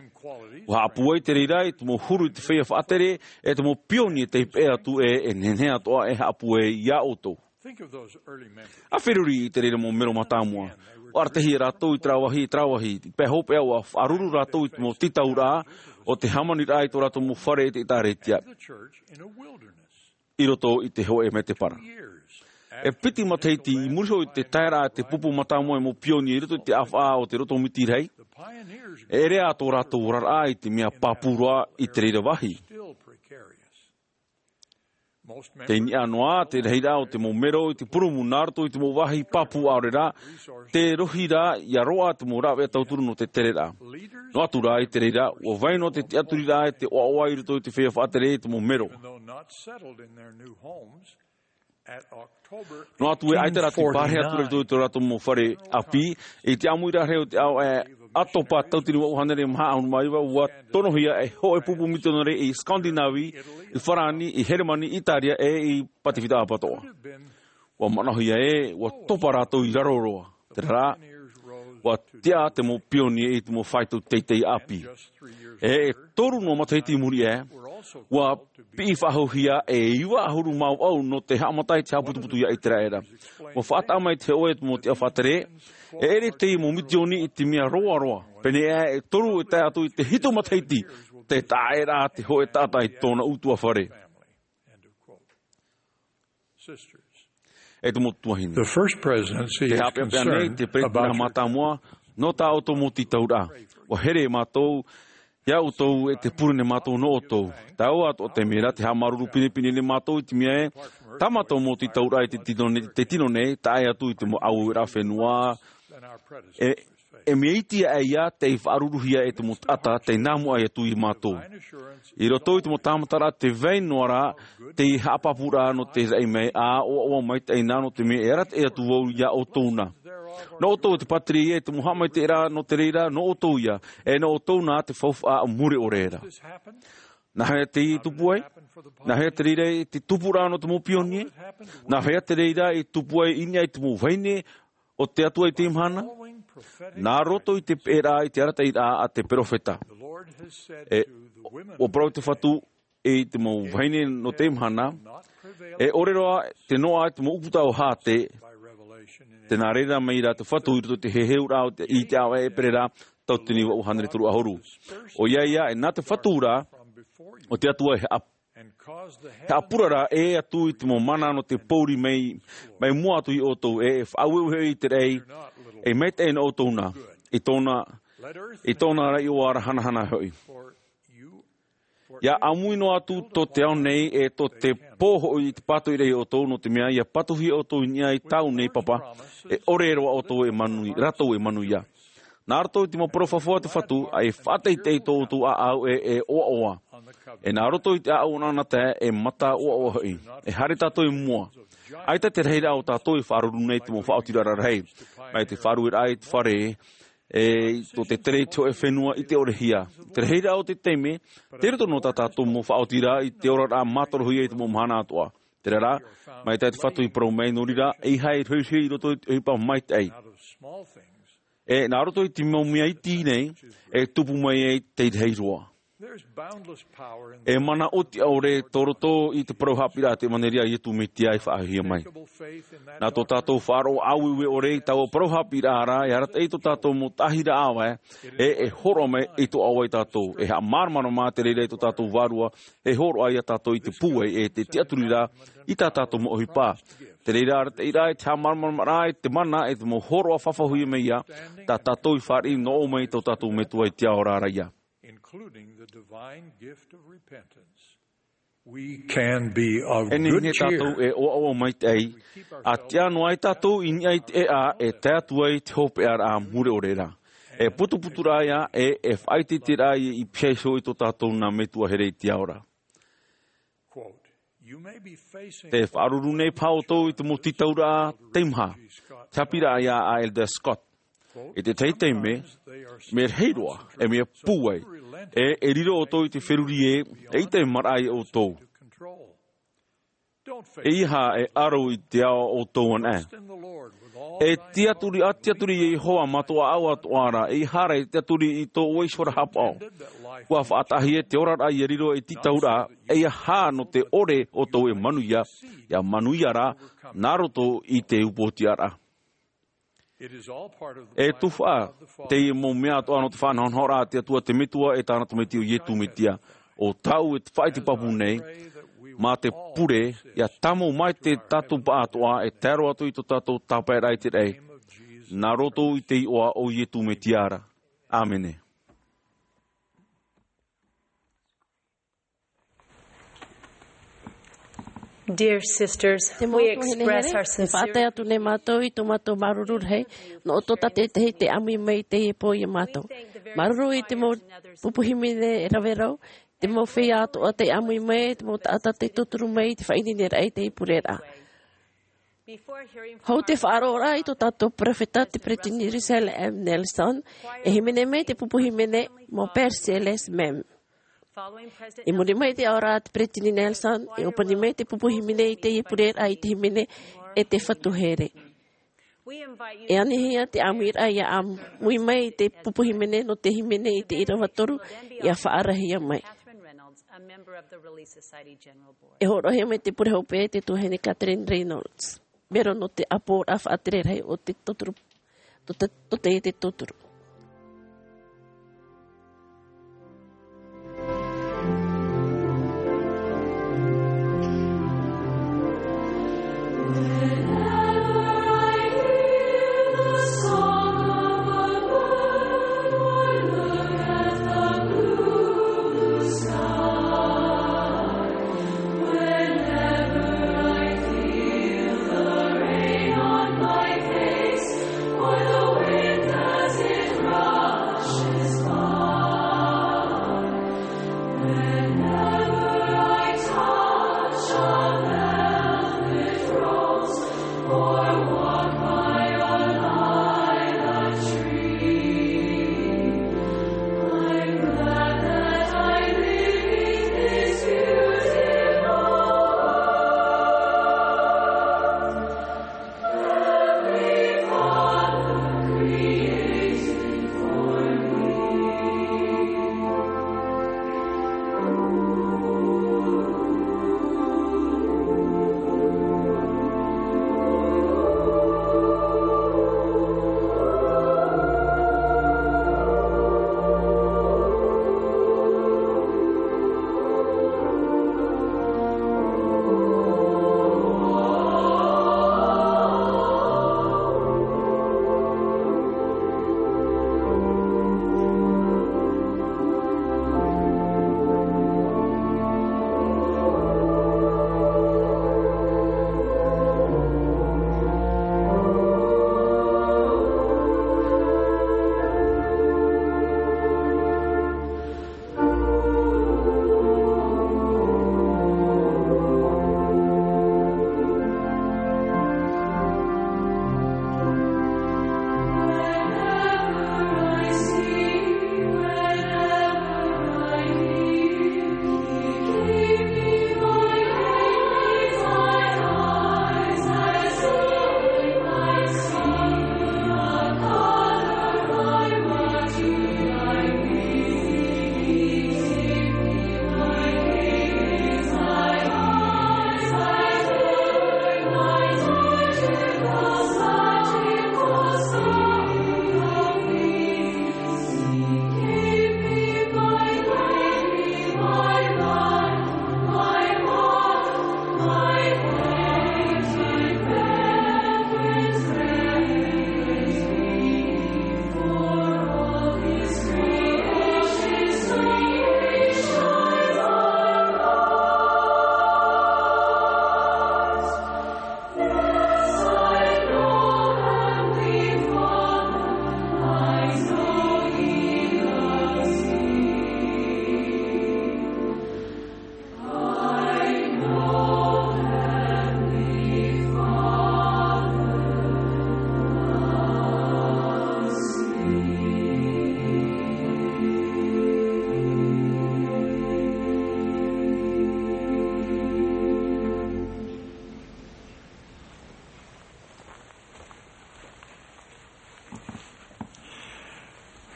ʻUa haʻapūai te reira i te mau huru i te feiā faʻatere, e te mau pioni e tei peʻe atu e, e nehenehe atoʻa e haʻapūai ia ʻoutou. Think of those early members. ʻA feruri i te reira mau mero mātāmua. ʻUa aratahi rātou i terā vāhi, i terā vāhi, i te pae hopeʻa ʻua faʻaruru rātou i te mau tītauraʻa, o te hāmaniraʻa i tō rātou mau fare i te ʻĒtārētia. The church in a wilderness. I roto i te hōʻē mētēpara. E piti matahiti i muri iho i te taeraʻa te pupu mātāmua e mau pioni i roto i te ʻāfaʻa o te roto miti rahi. E ʻere ā tō rātou oraraʻa i te mea pāpū roa i te reira vāhi. Tei niʻa noa te rahiraʻa o te mau mero i te purumu nā roto i te mau vāhi pāpū ʻaore rā, te rohi rā ʻia roaʻa te mau rāveʻa tauturu nō te tereraʻa. Noa atu rā i te reira, ʻua vai noa te tiʻaturiraʻa e te ʻoaʻoa i roto i te feiā faʻatere i te mau mero. Noa atu e ʻaita rā te pārahi atu i roto i tō rātou mau fare ʻāpī, i te ʻāmuiraʻa rahi o te ao e ʻatopa tauatini vaʻu hānere maha ʻahuru mā iva, ʻua tonohia e hōʻē pupu mitionare i Scandinavie, i Farāni, i Heremani, Itaria, e i Pasifika atoʻa. ʻUa manaʻohia ē, ʻua topa rātou i raro roa. Terā rā, ʻUa tiʻa te mau pionie i te mau faito teitei ʻāpī. E, e toru noa matahiti i muri aʻe, ʻua piʻi faʻahouhia e iva ʻahuru mā vaʻu nō te haʻamata i te haʻaputuputu ia ʻĪteraʻera. ʻUa faʻataʻa mai te hōʻē te mau tiʻa faʻatere, e ʻere te mau mitioni i te mea roaroa. Pēnei aʻe e toru e tae atu i te hitu matahiti, tē taʻa aʻe ra te hōʻē taʻata i tōna ʻutuāfare. E te mau tuahine. The first presidency Te is haʻapeʻapeʻa nei concerned te peresideni about your mātāmua nō tā ʻoutou mau tītauraʻa. ʻUa here mātou ia ʻoutou e te pure nei mātou nō ʻoutou. Taua atoʻa te mea ra te haʻamāuruuru pinepine nei mātou i te mea ē, tā mātou mau tītauraʻa i te tino nei, te tino nei, tae atu i te mau ʻāueueraʻa fenua. E, e mea iti aʻe ia tei faʻaruru hia e te mau taʻata, tei nā mua atu ia mātou. I roto i te mau tāmataraʻa tē vai noa ra te haʻapāpūraʻa nō te raʻi mai, ʻa ʻoaʻoa maitaʻi na nō te mea e arataʻi atu vau ia ʻoutou na. Nō ʻoutou te pātireia e te mau haʻamaitaʻiraʻa nō te reira, nō ʻoutou ia, e nō ʻoutou na te faufaʻa mure ʻore ra. Nā hea teie i tupu ai? Nā hea te reira i te tupuraʻa nō te mau pionie? Nā hea te reira i tupu ai i niʻa i te mau vahine o te Atua i teie mahana? Nā roto i te peʻeraʻa i te arataʻiraʻa a te perofeta. E, ʻua parau te Fatu i te mau vahine nō teie mahana, e ʻore roa te noaʻa i te mau ʻūputa o Hāte, tē nā reira mai ra te Fatu i roto i te heheuraʻa o te, i te ʻāvaʻe ʻEperēra, tauatini vaʻu hānere toru ʻahuru. ʻOia ia, e nā te Fatu ra, ʻo te Atua e haʻa-, haʻapurara ē atu i te mau mana nō te pōuri mai, mai mua atu ia ʻoutou, e, e faʻaueue hoʻi i te raʻi, e maitaʻi nō ʻoutou na, i tōna, i tōna raʻi ʻoaʻoa hanahana hoʻi. ʻIa ʻāmui noa atu tō te ao nei, e tō te pō hoʻi i te pātoʻiraʻa ia ʻoutou, nō te mea ʻia patuhia ʻoutou i niʻa i tāʻu nei Papa, e ʻore roa ʻoutou e manu-, rātou e manuia. Nā roto i te mau parau fafau a te Fatu, ʻa e faʻateitei tō ʻoutou ʻāʻau e, e ʻoaʻoa. E nā roto i te ʻāʻau ʻanaʻanatae, e mata ʻoaʻoa hoʻi. E haere tātou i mua. ʻAita te rahiraʻa o tātou e faʻaruru nei te mau faʻaotiraʻa rahi. Mai te faʻarueraʻa i te fare, e, i tō te tere i te hōʻē fenua i te ʻorehia. Te rahiraʻa o te taime, tei roto noa tā tātou mau faʻaotiraʻa i te oraraʻa mātorohia i te mau mahana atoʻa. Terā rā, mai tā te Fatu i parau mai, nō reira, ʻeiaha e rohirohi i roto i te ʻohipa maitaʻi. E, nā roto i te mau mea iti nei, e tupu mai ai te rahi roa. E mana ʻōtiʻa ʻore tō roto i te parau haʻapiʻiraʻa a te ʻevanelia a Iesu Mesia e faʻahiahia mai. Nā tō tātou faʻaroʻo ʻāueue ʻore i taua parau haʻapiʻiraʻa ra, e arataʻi tō tātou mau taʻahiraʻa ʻāvae, e, e hōroʻa mai i tō ʻāvae ia tātou. E haʻamāramarama te reira i tō tātou Vārua, e hōroʻa ia tātou i te pūai, e te tiʻaturi ra, i tā tātou mau ʻohipa. Te reira arataʻi ra, e te haʻamāramarama ra, e te mana, e te mau hōroʻa fafauhia mai ia, tā tātou i fāriʻi noa mai tō tātou Metua i te ao ra ia. Including the divine gift of repentance. We can be of E nehenehe good cheer. Tātou e ʻoaʻoa maitaʻi, ʻa tiʻa noa ai tātou i niʻa i te ʻēʻa e tae atu ai te hopeʻa ra mure ʻore ra. E putuputuraʻa ia, e, e faʻaʻiteʻite ra i, i piha iho i tō tātou nā Metua here i te ao ra. Quote, "You may be facing Te faʻaruru nei paha ʻoutou i te mau tītauraʻa teimaha." Te haʻapiʻiraʻa ia a Elder Scott. I te tahi taime, mea rahi roa, e mea pūai, e, e riro ʻoutou i te feruri ē, eʻita e maraʻa ia ʻoutou. ʻEiaha e aro i te ao ʻoutou anaʻe. E tiʻaturi, ʻa tiʻaturi ia Iehova mā tō ʻāʻau atoʻa ra, ʻeiaha e tiʻaturi i tō ʻoe ihora haʻapaʻo. ʻUa faʻataʻahia te oraraʻa ia riro ei tītauraʻa, ʻeiaha nō te ʻore ʻoutou e manuia, ʻia manuia ra, nā roto i te upoʻotiʻaraʻa. E tuhaʻa teie mau mea atoʻa nō te faʻanahonahoraʻa a te Atua te Metua e tāna Tamaiti ʻo Iesu Mesia. ʻO tāʻu e faʻaʻite pāpū nei, mā te pure, ʻia tāmau maitaʻi tātou paʻatoʻa e tae roa atu i tō tātou tāpaeraʻa i te raʻi. Nā roto i te iʻoa o Iesu Mesia ra. ʻĀmene. Dear sisters, Te mau we tuahine express here, our e sincere faʻatae atu nei mātou i tō mātou māuruuru rahi, nō ʻoutou tātaʻitahi tei ʻāmui mai i teie pō ia mātou. Māuruuru i te mau pupu hīmene rave rau, te mau feiā atoʻa tei ʻāmui mai, te mau taʻata tei tauturu mai i te faʻaineineraʻa i teie pureraʻa. Hou te faʻaroʻoraʻa i tō tātou perofeta te Peresideni Russell M. Nelson, e hīmene mai te pupu hīmene Mon Père Céleste m'aime. I muri mai i te aoraʻa a te Peresideni Nelson, e ʻōpani mai te pupu hīmene i teie pureraʻa i te hīmene E te Fatu Here. E anihia te ʻāmuiraʻa ʻia ʻāmui mai i te pupu hīmene nō te hīmene i te ʻīrava toru, ʻia faʻaarahia mai. E hōroʻahia mai te pure hopeʻa e te tuahine Katherine Reynolds. Mero nō te ʻāpoʻoraʻa faʻatere rahi o te tauturu, tō te, tō teie te tauturu.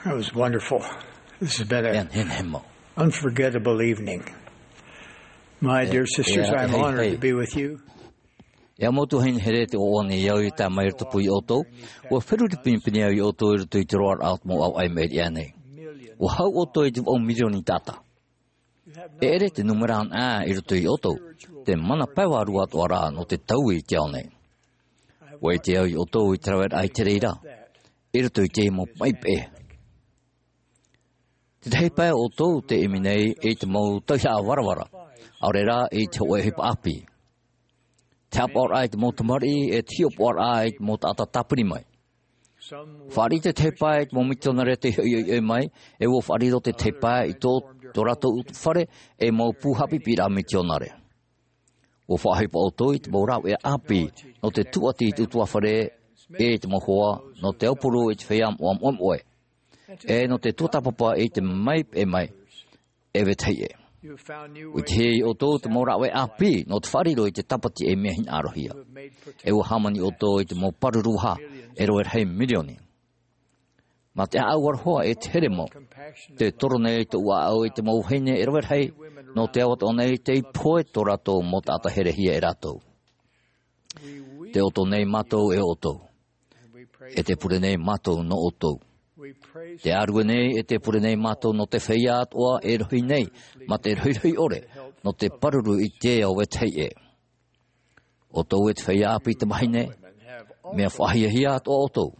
That was wonderful. This has been an unforgettable evening. My dear sisters, I'm honored to be with you. E ā mau tuahine here, tē ʻoaʻoa nei au i tae mai i rotopū iā ʻoutou. ʻUa feruri pinepine au iā ʻoutou i roto i te roaraʻa o te mau ʻāvaʻe i maʻiri aʻe nei. ʻUa hau ʻoutou i te vaʻu mirioni taʻata. E ʻere te nūmera anaʻe i roto iā ʻoutou te mana pae vārua atoʻa ra nō te taui i te ao nei. ʻUa ʻite au iā ʻoutou i te raveraʻa i te reira i roto i te mau maʻi peʻe. Te tahi pae ʻoutou te ʻimi nei i te mau tauihaʻa varavara, ʻaore rā i te hōʻē ʻohipa ʻāpī. Te haʻapaʻoraʻa i te mau tamariʻi, e te hiʻopoʻaraʻa i te mau taʻata tāpiri mai. Fāriʻi te tahi pae i te mau mitionare tei hoʻi ʻoiʻoi mai, e ʻua faʻariro te tahi pae i tō, tō rātou fare, e mau pū haʻapiʻiraʻa mitionare. ʻUa faʻaʻohipa ʻoutou i te mau rāveʻa ʻāpī, nō te tūʻati i te ʻutuāfare, e te mau hoa, nō te aupuru i te feiā moʻa moʻemoʻe, e nō te tuatāpapa i te maʻi peʻe mai, e vetahi ʻē. ʻUa ʻite iā ʻoutou te mau rāveʻa ʻāpī, nō te faʻariro i te tāpati e mea hinaʻarohia. E ʻua hāmani ʻoutou i te mau pāruru vaha, E rave rahi mirioni. Mā te ʻāʻau aroha e te here mau. Te toro nei tōʻu ʻāʻau i te mau vahine e rave rahi, nō te ʻāvaʻe nei tei pohe tō rātou mau taʻata herehia e rātou. Te ʻoto nei mātou e ʻoutou. E te pure nei mātou nō ʻoutou. Te ʻārue nei e te pure nei mātou nō te feiā atoʻa e rohi nei, mā te rohirohi ʻore, nō te pāruru i te ao vetahi ʻē. ʻOutou e te feiā ʻāpī tamāhine, mea faʻahiahia atoʻa ʻoutou.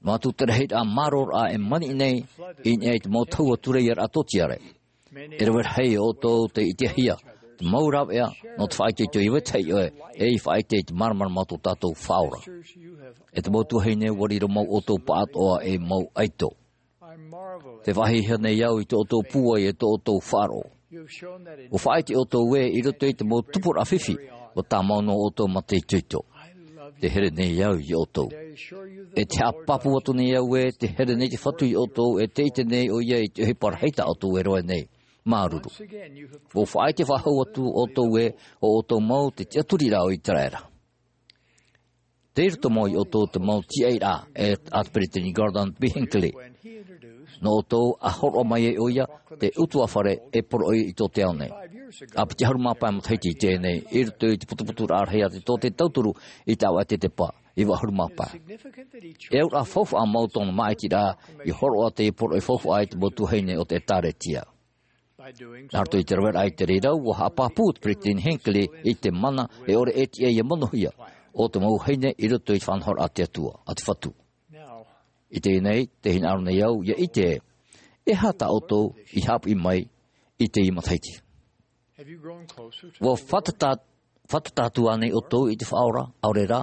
Noa atu te rahiraʻa māroraʻa e maniʻi nei, i niʻa i te mau tahua tūreia raʻa tōtiare. E rave rahi ʻoutou tei ʻitehia, te mau rāveʻa, nō te faʻaitoito i vetahi ʻē, e i faʻaite i te māramarama o tō tātou Faʻaora. E te mau tuahine ua riro mau ʻoutou pāʻatoʻa e mau ʻaito. Te faʻahiahia nei au i tō ʻoutou pūai e tō ʻoutou faʻaroʻo. Ua faʻaite ʻoutou ē i roto i te mau tupuraʻa fifi, ua tāmau nō ʻoutou mā te itoito. Te here nei au i ʻoutou. E te haʻapāpū atu nei au ē, te here nei te Fatu i ʻoutou, e te ʻite nei ʻoia i te ʻohipa rahi tā ʻoutou e rave nei. Māuruuru. Ua faʻaite faʻahou atu ʻoutou ē, ʻo ʻoutou mau te tiʻaturiraʻa o Iteraera. Tei roto mau i ʻoutou te mau tiʻairaʻa, e a te Peretiteni Gordon B. Hinckley. Nō ʻoutou a hōroʻa mai ai ʻoia, te ʻutuāfare e poroʻi i tō te ao nei. ʻA piti ʻahuru mā pae matahiti i teie nei, i roto i te putuputuraʻa rahi a te tō te tauturu i te ʻāvaʻe tetepa, iva ʻahuru mā pae. E auraʻa faufaʻa mau tōna māʻitiraʻa, i hōroʻa teie poroʻi faufaʻa i te mau tuahine o te ʻĒtārētia. Nā roto i te raveraʻa i te reira, ua haʻapāpū te Peretiteni Hinckley i te mana e ʻore e tiʻa ia monohia, o te mau vahine i roto i te faʻanahoraʻa a te Atua, a te Fatu. I teie nei, tē hinaʻaro nei au, ʻia ʻite ē, e aha tā ʻoutou i haʻapiʻi mai i teie matahiti. Ua fātata, fātata atu ānei ʻoutou i te Faʻaora, ʻaore rā,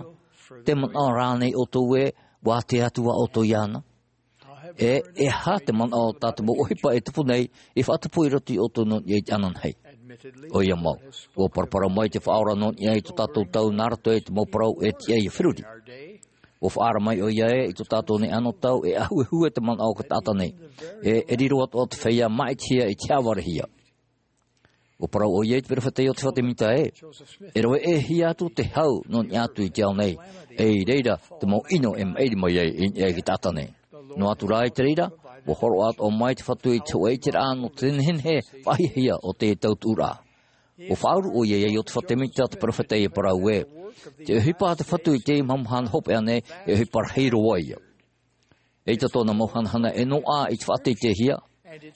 te manaʻo rānei ʻoutou ē, ua ātea atu ā ʻoutou iāna. E, e aha te manaʻo tā te mau ʻohipa e tupu nei, i faʻatupu i roto ia ʻoutou nō niʻa i te ananahi. ʻOia mau, ua paraparau mai te Faʻaora nō niʻa i tō tātou tau nā roto i te mau parau e tiʻa ia feruri. Ua faʻaara mai ʻoia ē, i tō tātou nei anotau, e ʻahuehue te manaʻo o te taʻata nei. E, e riro atoʻa te feiā māʻitihia i te haʻavarehia. Ua parau ʻoia i te perofeta Iosepha Semita ē, e rave ʻē hia atu te hau nō niʻa atu i te ao nei, e i reira te mau ʻino e maʻiri mai ai i niʻa i te taʻata nei. Noa atu rā i te reira, ua hōroʻa atoʻa mai te Fatu i te hōʻē ʻiteraʻa nō te nehenehe faʻahiahia o te tautuʻuraʻa. Ua faʻauru ʻoia ia Iosepha Semita te perofeta ʻia parau ē, te ʻohipa a te Fatu i teie mahana hopeʻa nei, e ʻohipa rahi roa ia. ʻEita tōna mau hanahana e noaʻa i te faʻateiteihia,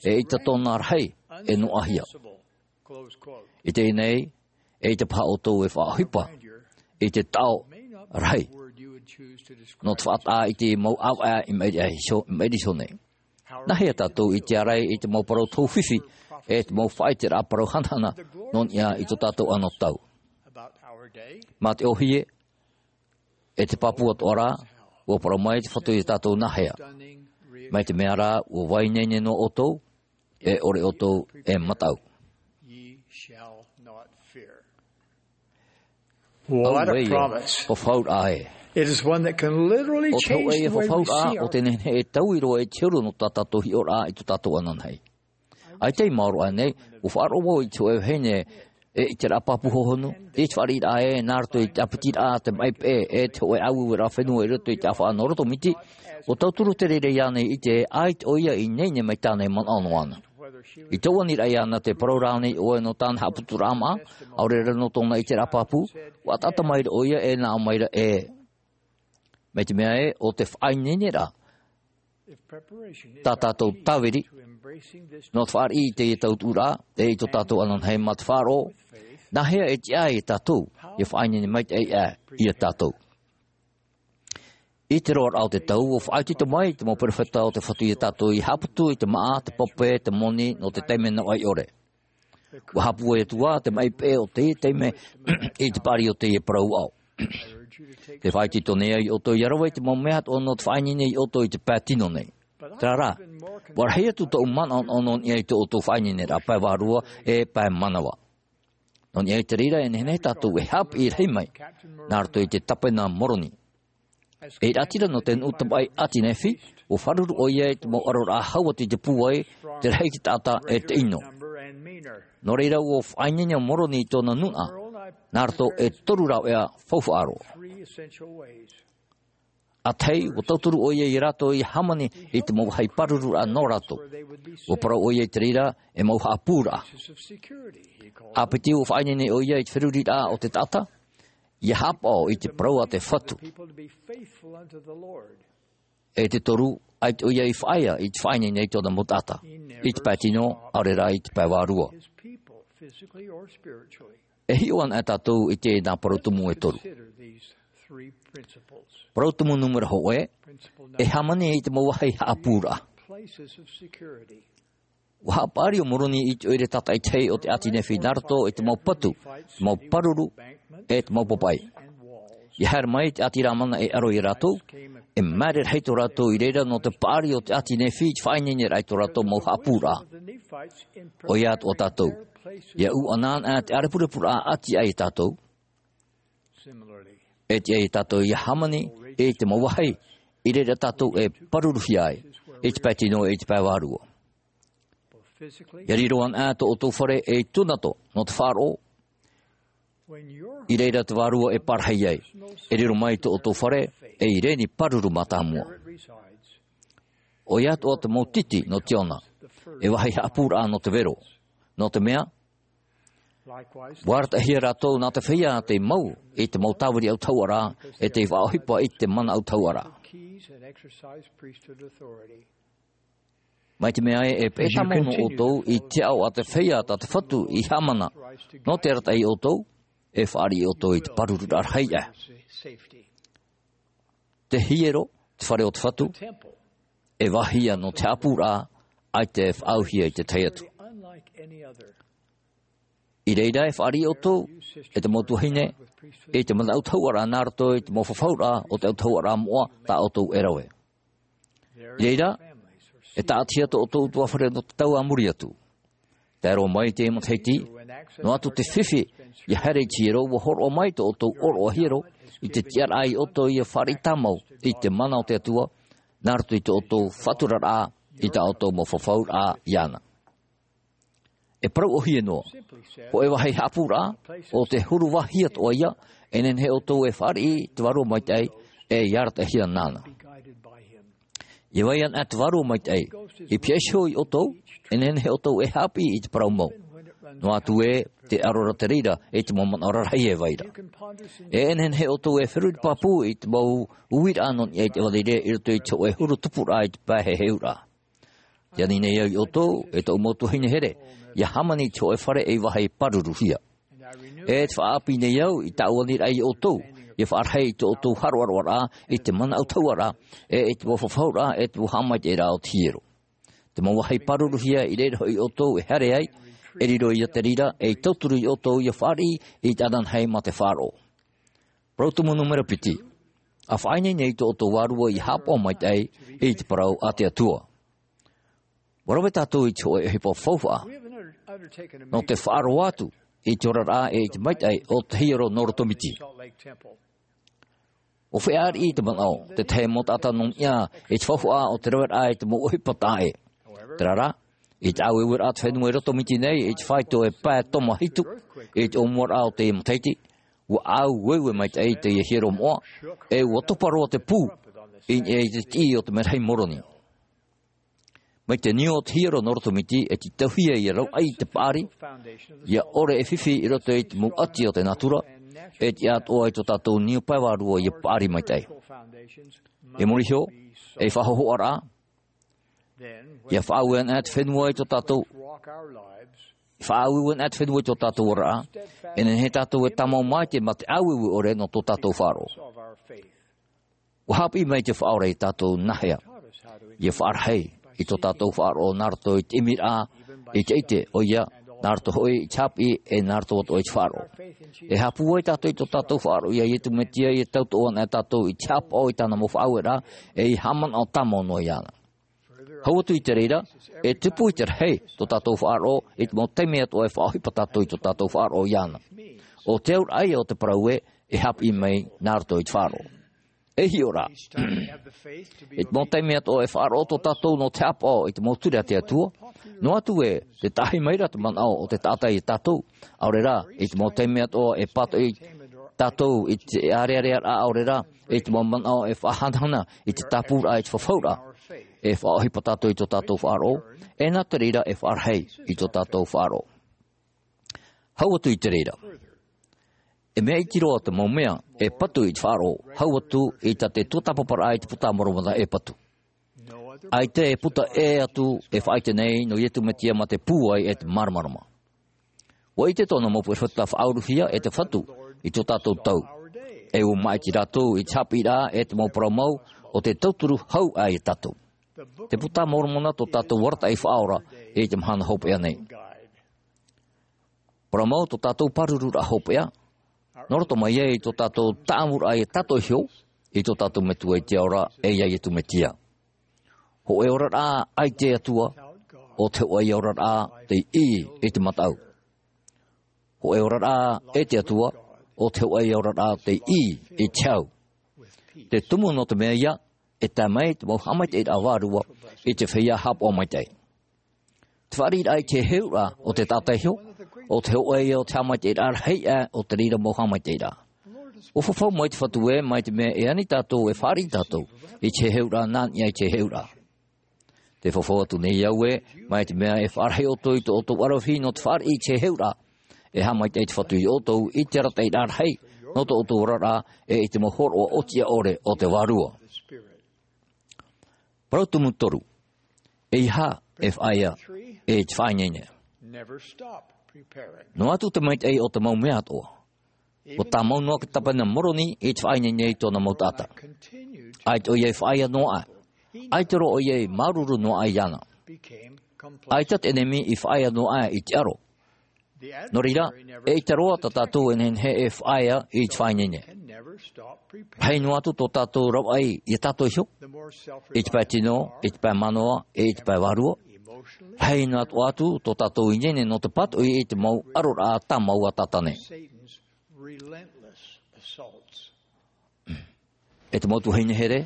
e ʻeita tōna rahi e noaʻahia. I teie nei, ʻeita paha ʻoutou e faʻaʻohipa i te taʻo rahi nō te faʻataʻa i te mau ʻāvaʻe i maʻiri iho, i maʻiri iho nei. Nāhea tātou i te ārai i te mau parau tō fifi, e te mau faʻaiteraʻa parau hanahana nō niʻa i tō tātou anotau. Mā te ʻōhie, e te pāpū atoʻa rā, ua parau mai te Fatu ia tātou nāhea. Mai te mea rā, ua vaiineine noa ʻoutou, e ʻore ʻoutou e mataʻu. What a promise. Auē, fafauraʻa ē. It is one that can literally change the way we see our... ʻO te hōʻē fafauraʻa, ʻo te nehenehe e taui roa i te huru nō tā tātou hiʻoraʻa i tō tātou ananahi. ʻAita i maoro aʻe nei, ua faʻaroʻo vau i te hōʻē vahine, e ʻiteraʻa pāpū hohonu, i te fāriʻiraʻa ē, nā roto i te ʻāpitiraʻa, te maʻi peʻe, e te hōʻē ʻāueueraʻa fenua i roto i te ʻāfaʻa nō roto miti, ua tauturu te reira iāna i ʻite, ʻaita ʻoia i ineine mai tāna e manaʻo noa na. I tōʻu aniraʻa iāna, tē parau ra ānei ʻoe nō tāna haʻaputuraʻa maʻa, ʻaore rā nō tōna ʻiteraʻa pāpū, ua ʻataʻata maira ʻoia e nā ʻō maira ē. Mai te mea ē, ʻo te faʻaineineraʻa, tā tātou tāviri, nō te fāriʻi i teie tautuʻuraʻa, e i tō tātou ananahi mā te faʻaroʻo, nāhea e tiʻa ai ia tātou, ʻia faʻaineine maitaʻi aʻe ia tātou. I te roaraʻa o te tau, ua faʻaitoito mai te mau perofeta o te Fatu ia tātou ʻia haʻaputu i te maʻa, te pape, te moni, nō te taime navaʻi ʻore. Ua haʻapūai atu ā te maʻi peʻe o teie taime i te paʻari o teie parau aʻo. Tē faʻaitoito nei au ia ʻoutou ʻia rave i te mau mea atoʻa nō te faʻaineine ia ʻoutou i te pae tino nei. Terā rā, ua rahi atu tōʻu manaʻo nō niʻa i tō ʻoutou faʻaineineraʻa pae vārua e pae manava. Nō niʻa i te reira e nehenehe tātou e haʻapiʻi rahi mai, nā roto i te tāpena Moroni. E ʻīraʻatira nō te nuʻu tamaʻi ʻāti Nephi, ua fāruru ʻoia i te mau ʻaroraʻa hau atu i te pūai, te rahi te taʻata e te ʻino. Nō reira ua faʻaineine ʻo Moroni i tōna nūnaʻa, nā roto e toru rāveʻa faufaʻa roa. Three essential ways. ʻĀtahi, ʻua tauturu ʻoia ia rātou ʻia hāmani i te mau vāhi pāruru nō rātou. ʻUa parau ʻoia i te reira e mau haʻapūraʻa. ʻĀpiti, ʻua faʻaineine ʻoia i te feruriraʻa o te taʻata ʻia haʻapaʻo i te parau a te Fatu. E te toru, ʻaita ʻoia i faʻaea i te faʻaineine i tōna mau taʻata, i te pae tino, ʻaore rā i te pae vārua. E hiʻo ana tātou i teie nā parau tumu e toru. Parau tumu nūmera hōʻē, e hāmani i te mau vāhi haʻapūraʻa. ʻUa haʻapaʻari ʻo Moroni i te ʻoire tātaʻitahi o te ʻāti Nephi nā roto i te mau patu, te mau pāruru, e te mau papaʻi. ʻIa haere mai te ʻāti Lamana e ʻaro ia rātou, e māere rahi tō rātou i reira nō te paʻari o te ʻāti Nephi i te faʻaineineraʻa i tō rātou mau haʻapūraʻa. ʻOia atoʻa tātou, ʻia ʻūʻana ana te ʻārepurepuraʻa ʻāti aʻe ia tātou, e tiʻa ia tātou ʻia hāmani i te mau vāhi i reira tātou e pāruruhia ai, i te pae tino, i te pae vārua. ʻIa riro ana tō ʻoutou fare ei tūnato nō te faʻaroʻo. I reira te vārua e parahi ai, e riro mai tō ʻoutou fare ei reni pāruru mātāmua. ʻOia atoʻa te mau titi nō Tiona, e vāhi haʻapūraʻa nō te vero, nō te mea, ʻua arataʻihia rātou nā te feiā tei mau i te mau tāviri autahuʻaraʻa, e tei faʻaʻohipa i te mana autahuʻaraʻa. Mai te mea ē, e peʻe tāmau nō ʻoutou i te aʻo a te feiā tā te Fatu i haʻamana, nō te arataʻi ia ʻoutou, e fāriʻi ia ʻoutou i te pārururaʻa rahi aʻe. Te hiero, te fare o te Fatu, e vāhi ia nō te haʻapūraʻa, ʻaita e faʻaauhia i te tahi atu. I reira e fāriʻi ia ʻoutou, e te mau tuahine, i te mana autahuʻaraʻa nā roto i te mau fafauraʻa o te autahuʻaraʻa moʻa tā ʻoutou e rave. I reira, e tāʻatihia tō ʻoutou ʻutuāfare nō te tau a muri atu. Tae roa mai i te matahiti, noa atu te fifi ʻia haere i te hiero, ʻua hōroʻa mai tō ʻoutou ʻōroʻa hiero i te tiʻaraʻa ia ʻoutou ʻia fāriʻi tāmau i te mana o te Atua, nā roto i tō ʻoutou faʻaturaraʻa i tā ʻoutou mau fafauraʻa iāna. E parau ʻōhie noa, hōʻē vāhi haʻapūraʻa, ʻo te huru vāhi atoʻa ia, e nehenehe ʻoutou e fāriʻi te Vārua Maitaʻi, e ʻia arataʻihia nāna. ʻIa vai ana te Vārua Maitaʻi i pihaʻi iho ia ʻoutou, e nehenehe ʻoutou e haʻapiʻi i te parau mau. Noa atu ē, tē ʻaro ra te reira i te mau manaʻo rarahi e vai ra. E nehenehe ʻoutou e feruri pāpū i te mau uiraʻa nō niʻa i te ʻevanelia i roto i te hōʻē huru tupuraʻa i te pae heheuraʻa. Tē ani nei au ia ʻoutou, e tōʻu mau tuahine here, ʻia hāmani i te hōʻē fare ei vāhi pāruruhia. E te faʻaʻāpī nei au i tāʻu aniraʻa ia ʻoutou, ʻia faʻarahi i tō ʻoutou haʻaroʻaroʻaraʻa i te mana autahuʻaraʻa, e i te mau fafauraʻa, e te mau haʻamaitaʻiraʻa o te hiero. Te mau vāhi pāruruhia i reira hoʻi ʻoutou e haere ai, e riro ia te reira ei tauturu ia ʻoutou ʻia fāriʻi i te ananahi mā te faʻaroʻo. Parau tumu nūmera piti. ʻA faʻaineine nei tō ʻoutou vārua ʻia haʻapaʻo maitaʻi i te parau a te Atua. ʻUa rave tātou i te hōʻē ʻohipa faufaʻa nō te faʻaroʻo atu i te oraraʻa e i te maitaʻi o te hiero nō Roto Miti. ʻUa feiā ariʻi te manaʻo, te tahi mau taʻata nō niʻa i te faufaʻa o te raveraʻa i te mau ʻohipa taʻa ʻē. Terā rā, i te ʻāueueraʻa te fenua i Roto Miti nei, i te faito e pae toma hitu, i te ʻōmuaraʻa o teie matahiti, ʻua ʻāueue maitaʻi teie hiero moʻa, e ʻua topa roa te pū i niʻa i te tiʻi o te merahi Moroni. Mai te niu o te hiero nō Roto Miti, e tītauhia ʻia rauʻai te paʻari, ʻia ʻore e fifi i roto i te mau ʻati o te nātura, e tiʻa atoʻa i tō tātou niu pae vārua ʻia paʻari maitaʻi. I muri iho, ei faʻahōhoʻaraʻa, ʻia faʻaue ana te fenua i tō tātou, faʻaue ana te fenua i tō tātou oraraʻa, e nehenehe tātou e tāmau maitaʻi mā te ʻāueue ʻore nō tō tātou faʻaroʻo. ʻUa haʻapiʻi mai te Faʻaora ia tātou nāhea ʻia faʻarahi i tō tātou faʻaroʻo nā roto i te ʻimiraʻa, i te ʻite, ʻoia, nā roto hoʻi i te haʻapiʻi, e nā roto atoʻa i te faʻaroʻo. E haʻapūai tātou i tō tātou faʻaroʻo ia Iesu Mesia, ʻia tauturu ana tātou i te haʻapaʻo i tāna mau faʻaueraʻa, e ʻia haʻamanaʻo tāmau noa iāna. Hau atu i te reira, e tupu i te rahi tō tātou faʻaroʻo i te mau taime atoʻa e faʻaʻohipa tātou i tō tātou faʻaroʻo iāna. ʻO te auraʻa ia o te parau ē, e haʻapiʻi mai nā roto i te faʻaroʻo. E hiʻo rā, i te mau taime atoʻa e faʻaroʻo tō tātou nō te haʻapaʻo i te mau ture a te Atua, noa atu ē, tē taʻahi mai ra te manaʻo o te taʻata ia tātou, ʻaore rā, i te mau taime atoʻa e pātoʻi tātou i te ārearea rā ʻaore rā, i te mau manaʻo e faʻahanahana i te tāpūraʻa, i te fafauraʻa, e faʻaʻohipa tātou i tō tātou faʻaroʻo, e nā te reira e faʻarahi i tō tātou faʻaroʻo. Hau atu i te reira. E mea iti roa te mau mea e patu i te faʻaroʻo, hau atu i tā te tuatāpaparaʻa i te Puta a Moromona e patu. ʻAita e puta ʻē atu e faʻaʻite nei nō Iesu Mesia mā te pūai e te māramarama. ʻUa ʻite tōna mau perofeta faʻauruhia e te Fatu i tō tātou tau. E ʻua māʻiti rātou i te haʻapiʻiraʻa e te mau parau mau o te tauturu hau aʻe ia tātou. Te Puta a Moromona tō tātou arataʻi faʻaora i te mahana hopeʻa nei. Parau mau tō tātou pārururaʻa hopeʻa, nō roto mai ai tō tātou tāʻamuraʻa ia tātou iho i tō tātou Metua i te ao ra, e ia Iesu Mesia. Hōʻē oraraʻa ʻaita e Atua, ʻo te hōʻē oraraʻa tei ʻī i te mataʻu. Hōʻē oraraʻa e te Atua, ʻo te hōʻē oraraʻa tei ʻī i te hau. Te tumu nō te mea ia, e tae mai te mau haʻamaitaʻiraʻa vārua i te feiā haʻapaʻo maitaʻi. Te fāriʻiraʻa i te heheuraʻa o te taʻata iho, ʻo te hōʻē ia o te haʻamaitaʻiraʻa rahi aʻe o te reira mau haʻamaitaʻiraʻa. ʻUa fafau mai te Fatu ē, mai te mea e ani tātou, e fāriʻi tātou i te heheuraʻa nā niʻa i te heheuraʻa. Te fafau atu nei au ē, mai te mea e faʻarahi ʻoutou i tō ʻoutou ʻaravihi nō te fāriʻi i te heheuraʻa, e haʻamaitaʻi te Fatu ia ʻoutou i te arataʻiraʻa rahi nō tō ʻoutou oraraʻa, e i te mau hōroʻa ʻōtiʻa ʻore o te Vārua. Parau tumu toru. ʻEiaha e faʻaea i te faʻaineine. Noa atu te maitaʻi o te mau mea atoʻa. ʻUa tāmau noa te Tapenā a Moroni i te faʻaineine i tōna mau taʻata. ʻAita ʻoia e faʻaea noa aʻe. ʻAita roa ʻoia e māuruuru noa aʻe iāna. ʻAita te ʻenemi i faʻaea noa aʻe i te aro. Nō reira, eʻita roa tā tātou e nehenehe e faʻaea i te faʻaineine. Rahi noa atu tō tātou ravaʻi ia tātou iho, i te pae tino, i te pae manaʻo, e i te pae vārua. Rahi noa atu tō tātou ineine nō te pātoʻi i te mau aroraʻa tāmau a Tātane. E te mau tuahine here,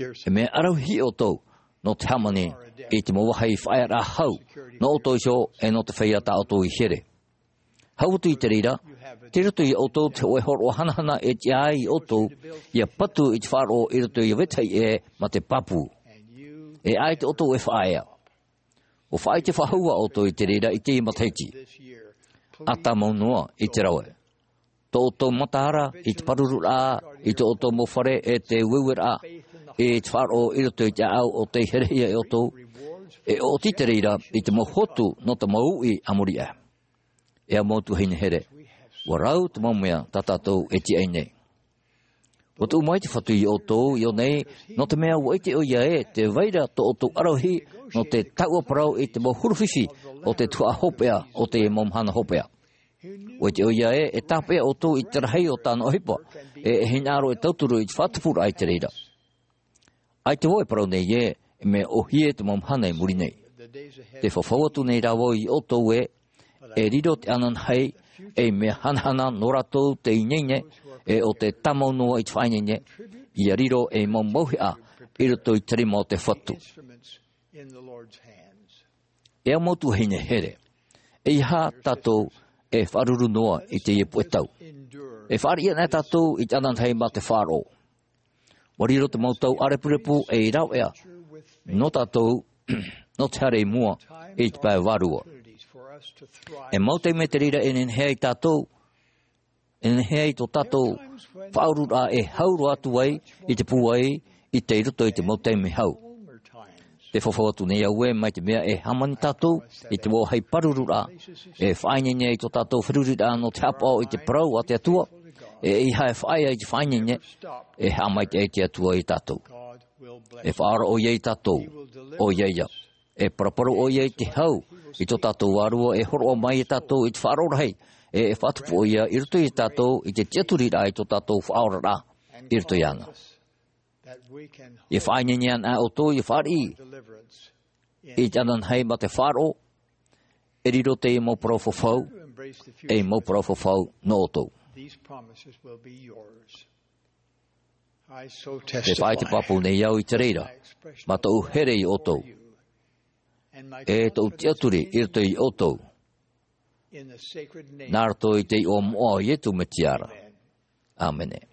e mea ʻaravihi ʻoutou nō te hāmani i te mau vāhi faʻaearaʻa hau nō ʻoutou iho, e nō te feiā tā ʻoutou i here. Hau atu i te reira, tei roto ia ʻoutou te hōʻē hōroʻa hanahana e tiʻa ai ia ʻoutou ia patu i te faʻaroʻo i roto ia vetahi ʻē mā te pāpū. E ʻaita ʻoutou e faʻaea. ʻUa faʻaʻite faʻahou ʻoutou i te reira i teie matahiti. ʻA tāmau noa i te rave. Tō ʻoutou mataara i te pārururaʻa i tō ʻoutou mau fare, e te ueueraʻa i te faʻaroʻo i roto i te ʻāʻau o tei herehia e ʻoutou, e ʻoti i te reira i te mau hotu nō te mau uʻi a muri aʻe. E au mau tuahine here, ʻua rau te mau mea tā tātou e tiʻa ai nei. ʻUa tuʻu mai te Fatu ia ʻoutou i ʻō nei, nō te mea ʻua ʻite ʻoia ē tē vai ra tō ʻoutou ʻaravihi nō te taʻua parau i te mau huru fifi o te tuhaʻa hopeʻa o te mau mahana hopeʻa. ʻUa ʻite ʻoia ē e tāpeʻa ʻoutou i te rahi o tāna ʻohipa, e e hinaʻaro e tauturu i te faʻatupuraʻa i te reira. ʻAita vau e parau nei ē, e mea ʻōhie te mau mahana i muri nei. Te fafau atu nei rā vau ia ʻoutou ē, e riro te ananahi ei mea hanahana nō rātou tei ineine, e ʻo tē tāmau noa i te faʻaineine, ia riro ei mau mauhaʻa i roto i te rima o te Fatu. E au mau tuahine here, ʻeiaha tātou e faʻaruru noa i teie puʻe tau. E fāriʻi ana tātou i te ananahi mā te faʻaroʻo. ʻUa riro te mau tau ʻārepurepu ei rāveʻa nō tātou, nō te haere i mua i te pae vārua. E mau taime te reira e nehenehe ai tātou, e nehenehe ai tō tātou faʻaururaʻa e hau roa atu ai i te pūai i tei roto i te mau taime hau. Te fafau atu nei au ē, mai te mea e hāmani tātou i te mau vāhi pārururaʻa, e faʻaineine ai tō tātou feruriraʻa nō te haʻapaʻo i te parau a te Atua, e ʻeiaha e faʻaea i te faʻaineine, e haʻamaitaʻi te Atua ia tātou. E faʻaora ʻoia ia tātou, ʻoia ia. E paraparau ʻoia i te hau i tō tātou Vārua, e hōroʻa mai ia tātou i te faʻaroʻo rahi, e, e faʻatupu ʻoia i roto ia tātou i te tiʻaturiraʻa i tō tātou faʻaoraraʻa i roto iāna. E faʻaineine ana ʻoutou ia fāriʻi i te ananahi mā te faʻaroʻo, e riro teie mau parau fafau ei mau parau fafau nō ʻoutou. Te faʻaite pāpū nei au i te reira, mā tōʻu here ia ʻoutou, e tōʻu tiʻaturi i roto ia ʻoutou, nā roto i te iʻoa moʻa o Iesu Mesia ra. ʻĀmene.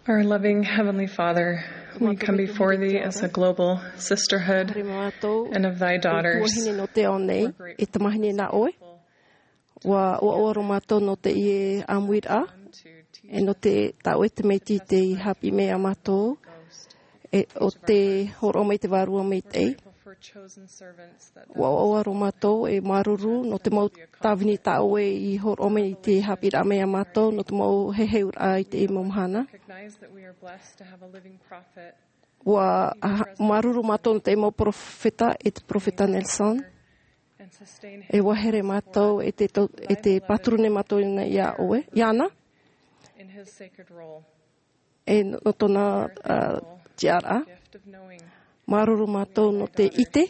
Our loving Heavenly Father, we come before thee as a global sisterhood and of thy daughters. Tuahine nō te ao nei, e tamahine nā ʻoe. Ua ʻoaʻoa roa mātou nō teie ʻāmuiraʻa, e nō te, tā ʻoe te Metua tei haʻapiʻi mai iā mātou, e ʻo te hōroʻa mai te Vārua Maitaʻi. Ua ʻoaʻoa roa mātou e māuruuru nō te mau tāvini tā ʻoe i hōroʻa mai i te haʻapiʻiraʻa mai iā mātou, nō te mau heheuraʻa i teie mau mahana. Ua ha-, māuruuru mātou nō te mau perofeta, e te Perofeta Nelson. E vāhere mātou e te, to- e te pāturu nei mātou iāna, iāna. E nō tōna tiaraʻa. Māuruuru mātou nō te ʻite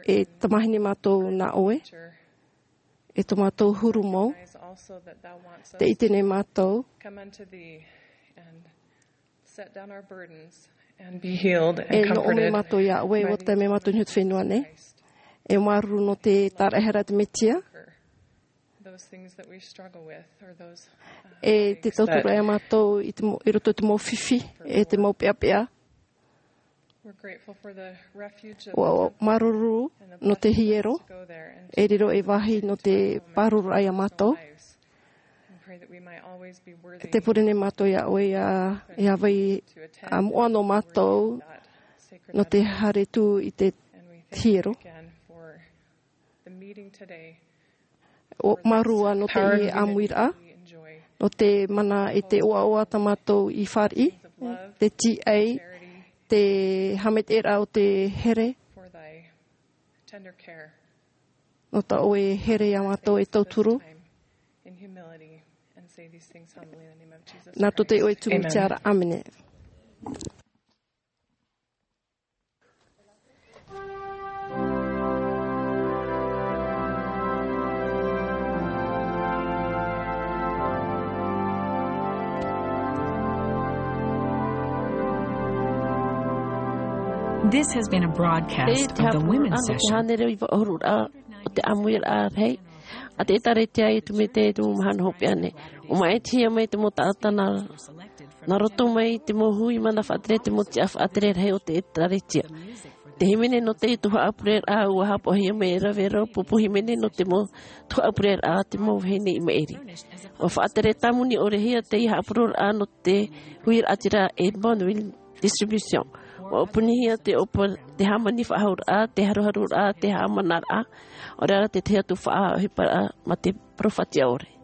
e tamahine mātou nā ʻoe, e tō mātou huru mau. Te ʻite nei mātou e nō ʻō mai mātou iā ʻoe ua tae mai mātou i te fenua nei. E māuruuru nō te tāraʻehara te mesia. E te tauturu iā mātou i roto i te mau fifi e te mau peapea. Māuruuru nō te hiero e riro ei vāhi nō te pāruru iā mātou. Te pure nei mātou iā ʻoe ia vai a moʻa nō mātou nō te haere tū i te hiero. Māuruuru nō te ʻāmuiraʻa, nō te mana i te ʻoaʻoa tā mātou i fāriʻi, te tīaʻi, te haʻamaitaʻiraʻa o te here. Nō tā ʻoe here iā mātou e tauturu. Nā tō te ʻoe tumu tiaraʻa, ʻāmene. This has been a broadcast of the Women's Session. Hānere iva ʻahuru rā o te ʻāmuiraʻa rahi a te ʻĒtārētia i te mea te tumu mahana hopeʻa nei. ʻO maʻitihia mai te mau taʻata nā roto mai te mau hui mana faʻatere, te mau tiʻa faʻatere rahi o te ʻĒtārētia. Te hīmene nō te tuhaʻa pureraʻa ua haʻapaʻohia mai e rave roa pupu hīmene nō te mau tuhaʻa pureraʻa te mau vahine i maʻiri. Ua faʻatere tāmoni ʻore hia te haʻapuroroʻa nō te huiraʻatira e Bonneville Distribution. Ua ʻōpunihia te ʻōpū te hāmani faʻahouraʻa, te haruharuraʻa, te haʻamanaraʻa, ʻo reira te tahi atu faʻaʻohiparaʻa mā te parau fatiʻa ʻore.